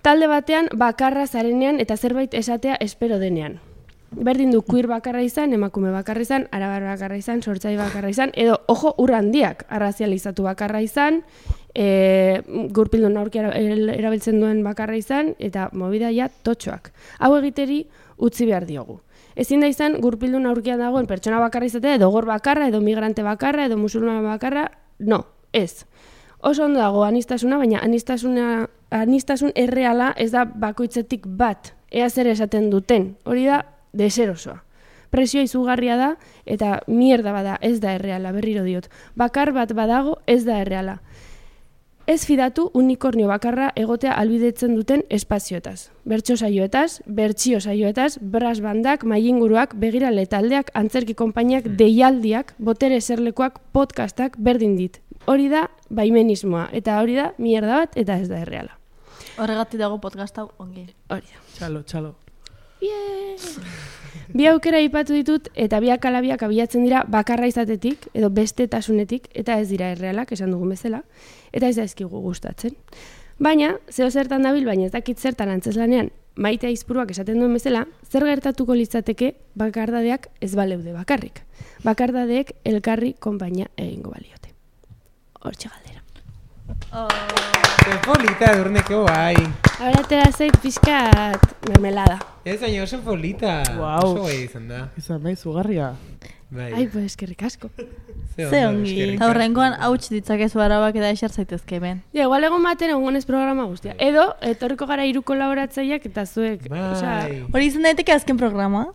Talde batean bakarra zarenean eta zerbait esatea espero denean. Berdin du queer bakarra izan, emakume bakarra izan, arabar bakarra izan, sortzai bakarra izan, edo, ojo, ur handiak, arrazializatu bakarra izan, gurpildun aurkia erabiltzen duen bakarra izan, eta movida ja totxoak. Hau egiteri utzi behar diogu. Ezin da izan gurpildun aurkian dagoen pertsona bakarra izatea, edo gor bakarra, edo migrante bakarra, edo musulman bakarra, no, ez. Oso ondo dago anistasuna, baina anistasun erreala ez da bakoitzetik bat, ea zer esaten duten, hori da deserosoa. Presio izugarria da, eta mierda bada, ez da erreala, berriro diot. Bakar bat badago, ez da erreala. Ez fidatu unikornio bakarra egotea albidetzen duten espazioetaz. Bertso saioetaz, bertsio saioetaz, brass bandak, mailinguruak, begirale taldeak, antzerki konpainiak, deialdiak, botere eserlekuak, podcastak berdin dit. Hori da baimenismoa, eta hori da mierda bat, eta ez da erreala. Horregatik dago podcast hau ongi. Hori da. Txalo. Bi aukera aipatu ditut, eta biak ala biak abiatzen dira bakarra izatetik, edo bestetasunetik, eta ez dira errealak, esan dugun bezala, eta ez daizkigu gustatzen. Baina, zeo zertan dabil, baina ez dakit zertan antzeslanean, Maite Aizpuruak esaten duen bezala, zer gertatuko litzateke bakardadeak ez baleude bakarrik. Bakardadeek elkarri konpainia egingo baliote. Hortxe galdera. Polita, Edurneko, bai. Ahora atera zait pixkat mermelada. Ez baina oso polita. Wow. Oso gai izan da. Izan nahi, zugarria. Bai. Ai, pues, eskerrik asko. Ze ongi. Eta horrengoan hauts ditzakezu arabak eta esar zaitezke ben. Ja, igual egon baten egonez programa guztia. Edo, etorriko gara 3 kolaboratzaileak eta zuek. Bai. Osea, Hori izan daiteke azken programa.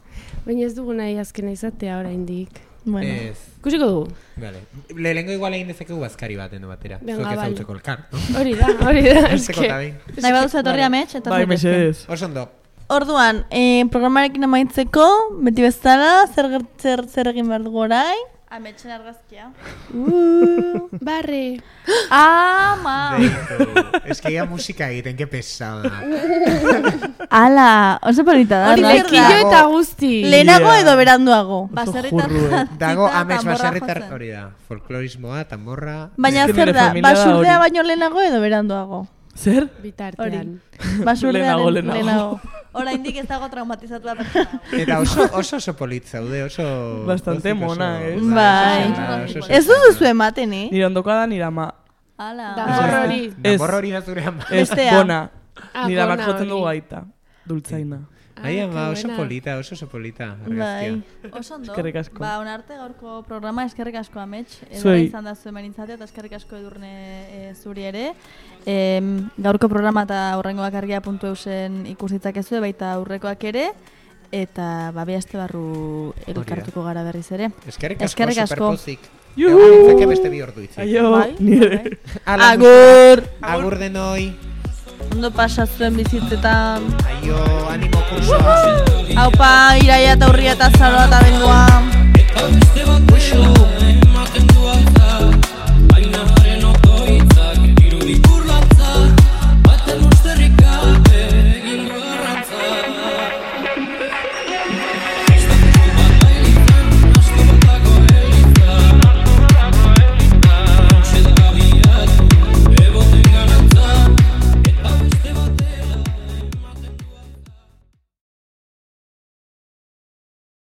baina ez dugu nahi azkena izatea oraindik. Bueno. Ez. Ikusiko dugu. Vale. Lehengo igual egin dezakegu bazkari baten batera. Venga, Zuek ez vale. hautzeko elkar, no? Hori da. Esteko eta behin. Nahi baduzu etorri amets, eta Bai, zaitezke. mesedez. Oso ondo. Orduan, programarekin amaitzeko, beti bezala, zer egin behar dugu orain? Ametsen argazkia. Barre. Ama! Ez que ya musika egiten, que pesada. Ala, oso polita da. Hori argazkia. zer da? Lekillo eta guzti. Lehenago Yeah. edo beranduago? Baserritar Dago jantzita, amets tanborra baserritar jotzen. hori da. Folklorismoa, tamborra. Baina Ez que zer nire da, familia da basurdea hori. baino lehenago edo beranduago? Zer? Bitartean. Basurdearen Lehenago. lehenago. Oraindik ez dago traumatizatua pertsona. Eta oso polit zaude, oso... Bastante pozik, mona, oso- ez? Bai. oso- Ez duzu ematen, eh? Nire ondoka da nire ama. Ala. Danbor hori. Danborra hori da zure ama. Ez, Bestea. bona. Ah, Nire amak bona jotzen dugu hori. gaita. Dultzaina. Ai, ama, qué oso buena. polita, oso polita. Bai. Oso ondo. Eskerrik asko. Ba, onarte gaurko programa eskerrik asko amets. Edora Zuei. izan da zuen benintzatea eta eskerrik asko Edurne zuri ere. Gaurko programa eta horrengo bakargia.eusen ikusitzakezue baita aurrekoak ere. Eta bi aste barru elkartuko gara berriz ere. Eskerrik Eskerrik asko, asko. superpozik. Juhu! Egon nintzake beste bi ordu itzi. Aio, Bai, nire. Ala, Agur! Agur denoi. Ondo pasatzen bizitzetan. Aio, animo kursoa. Haupa, iraia eta urria eta zaroa eta bendua. Eta beste bat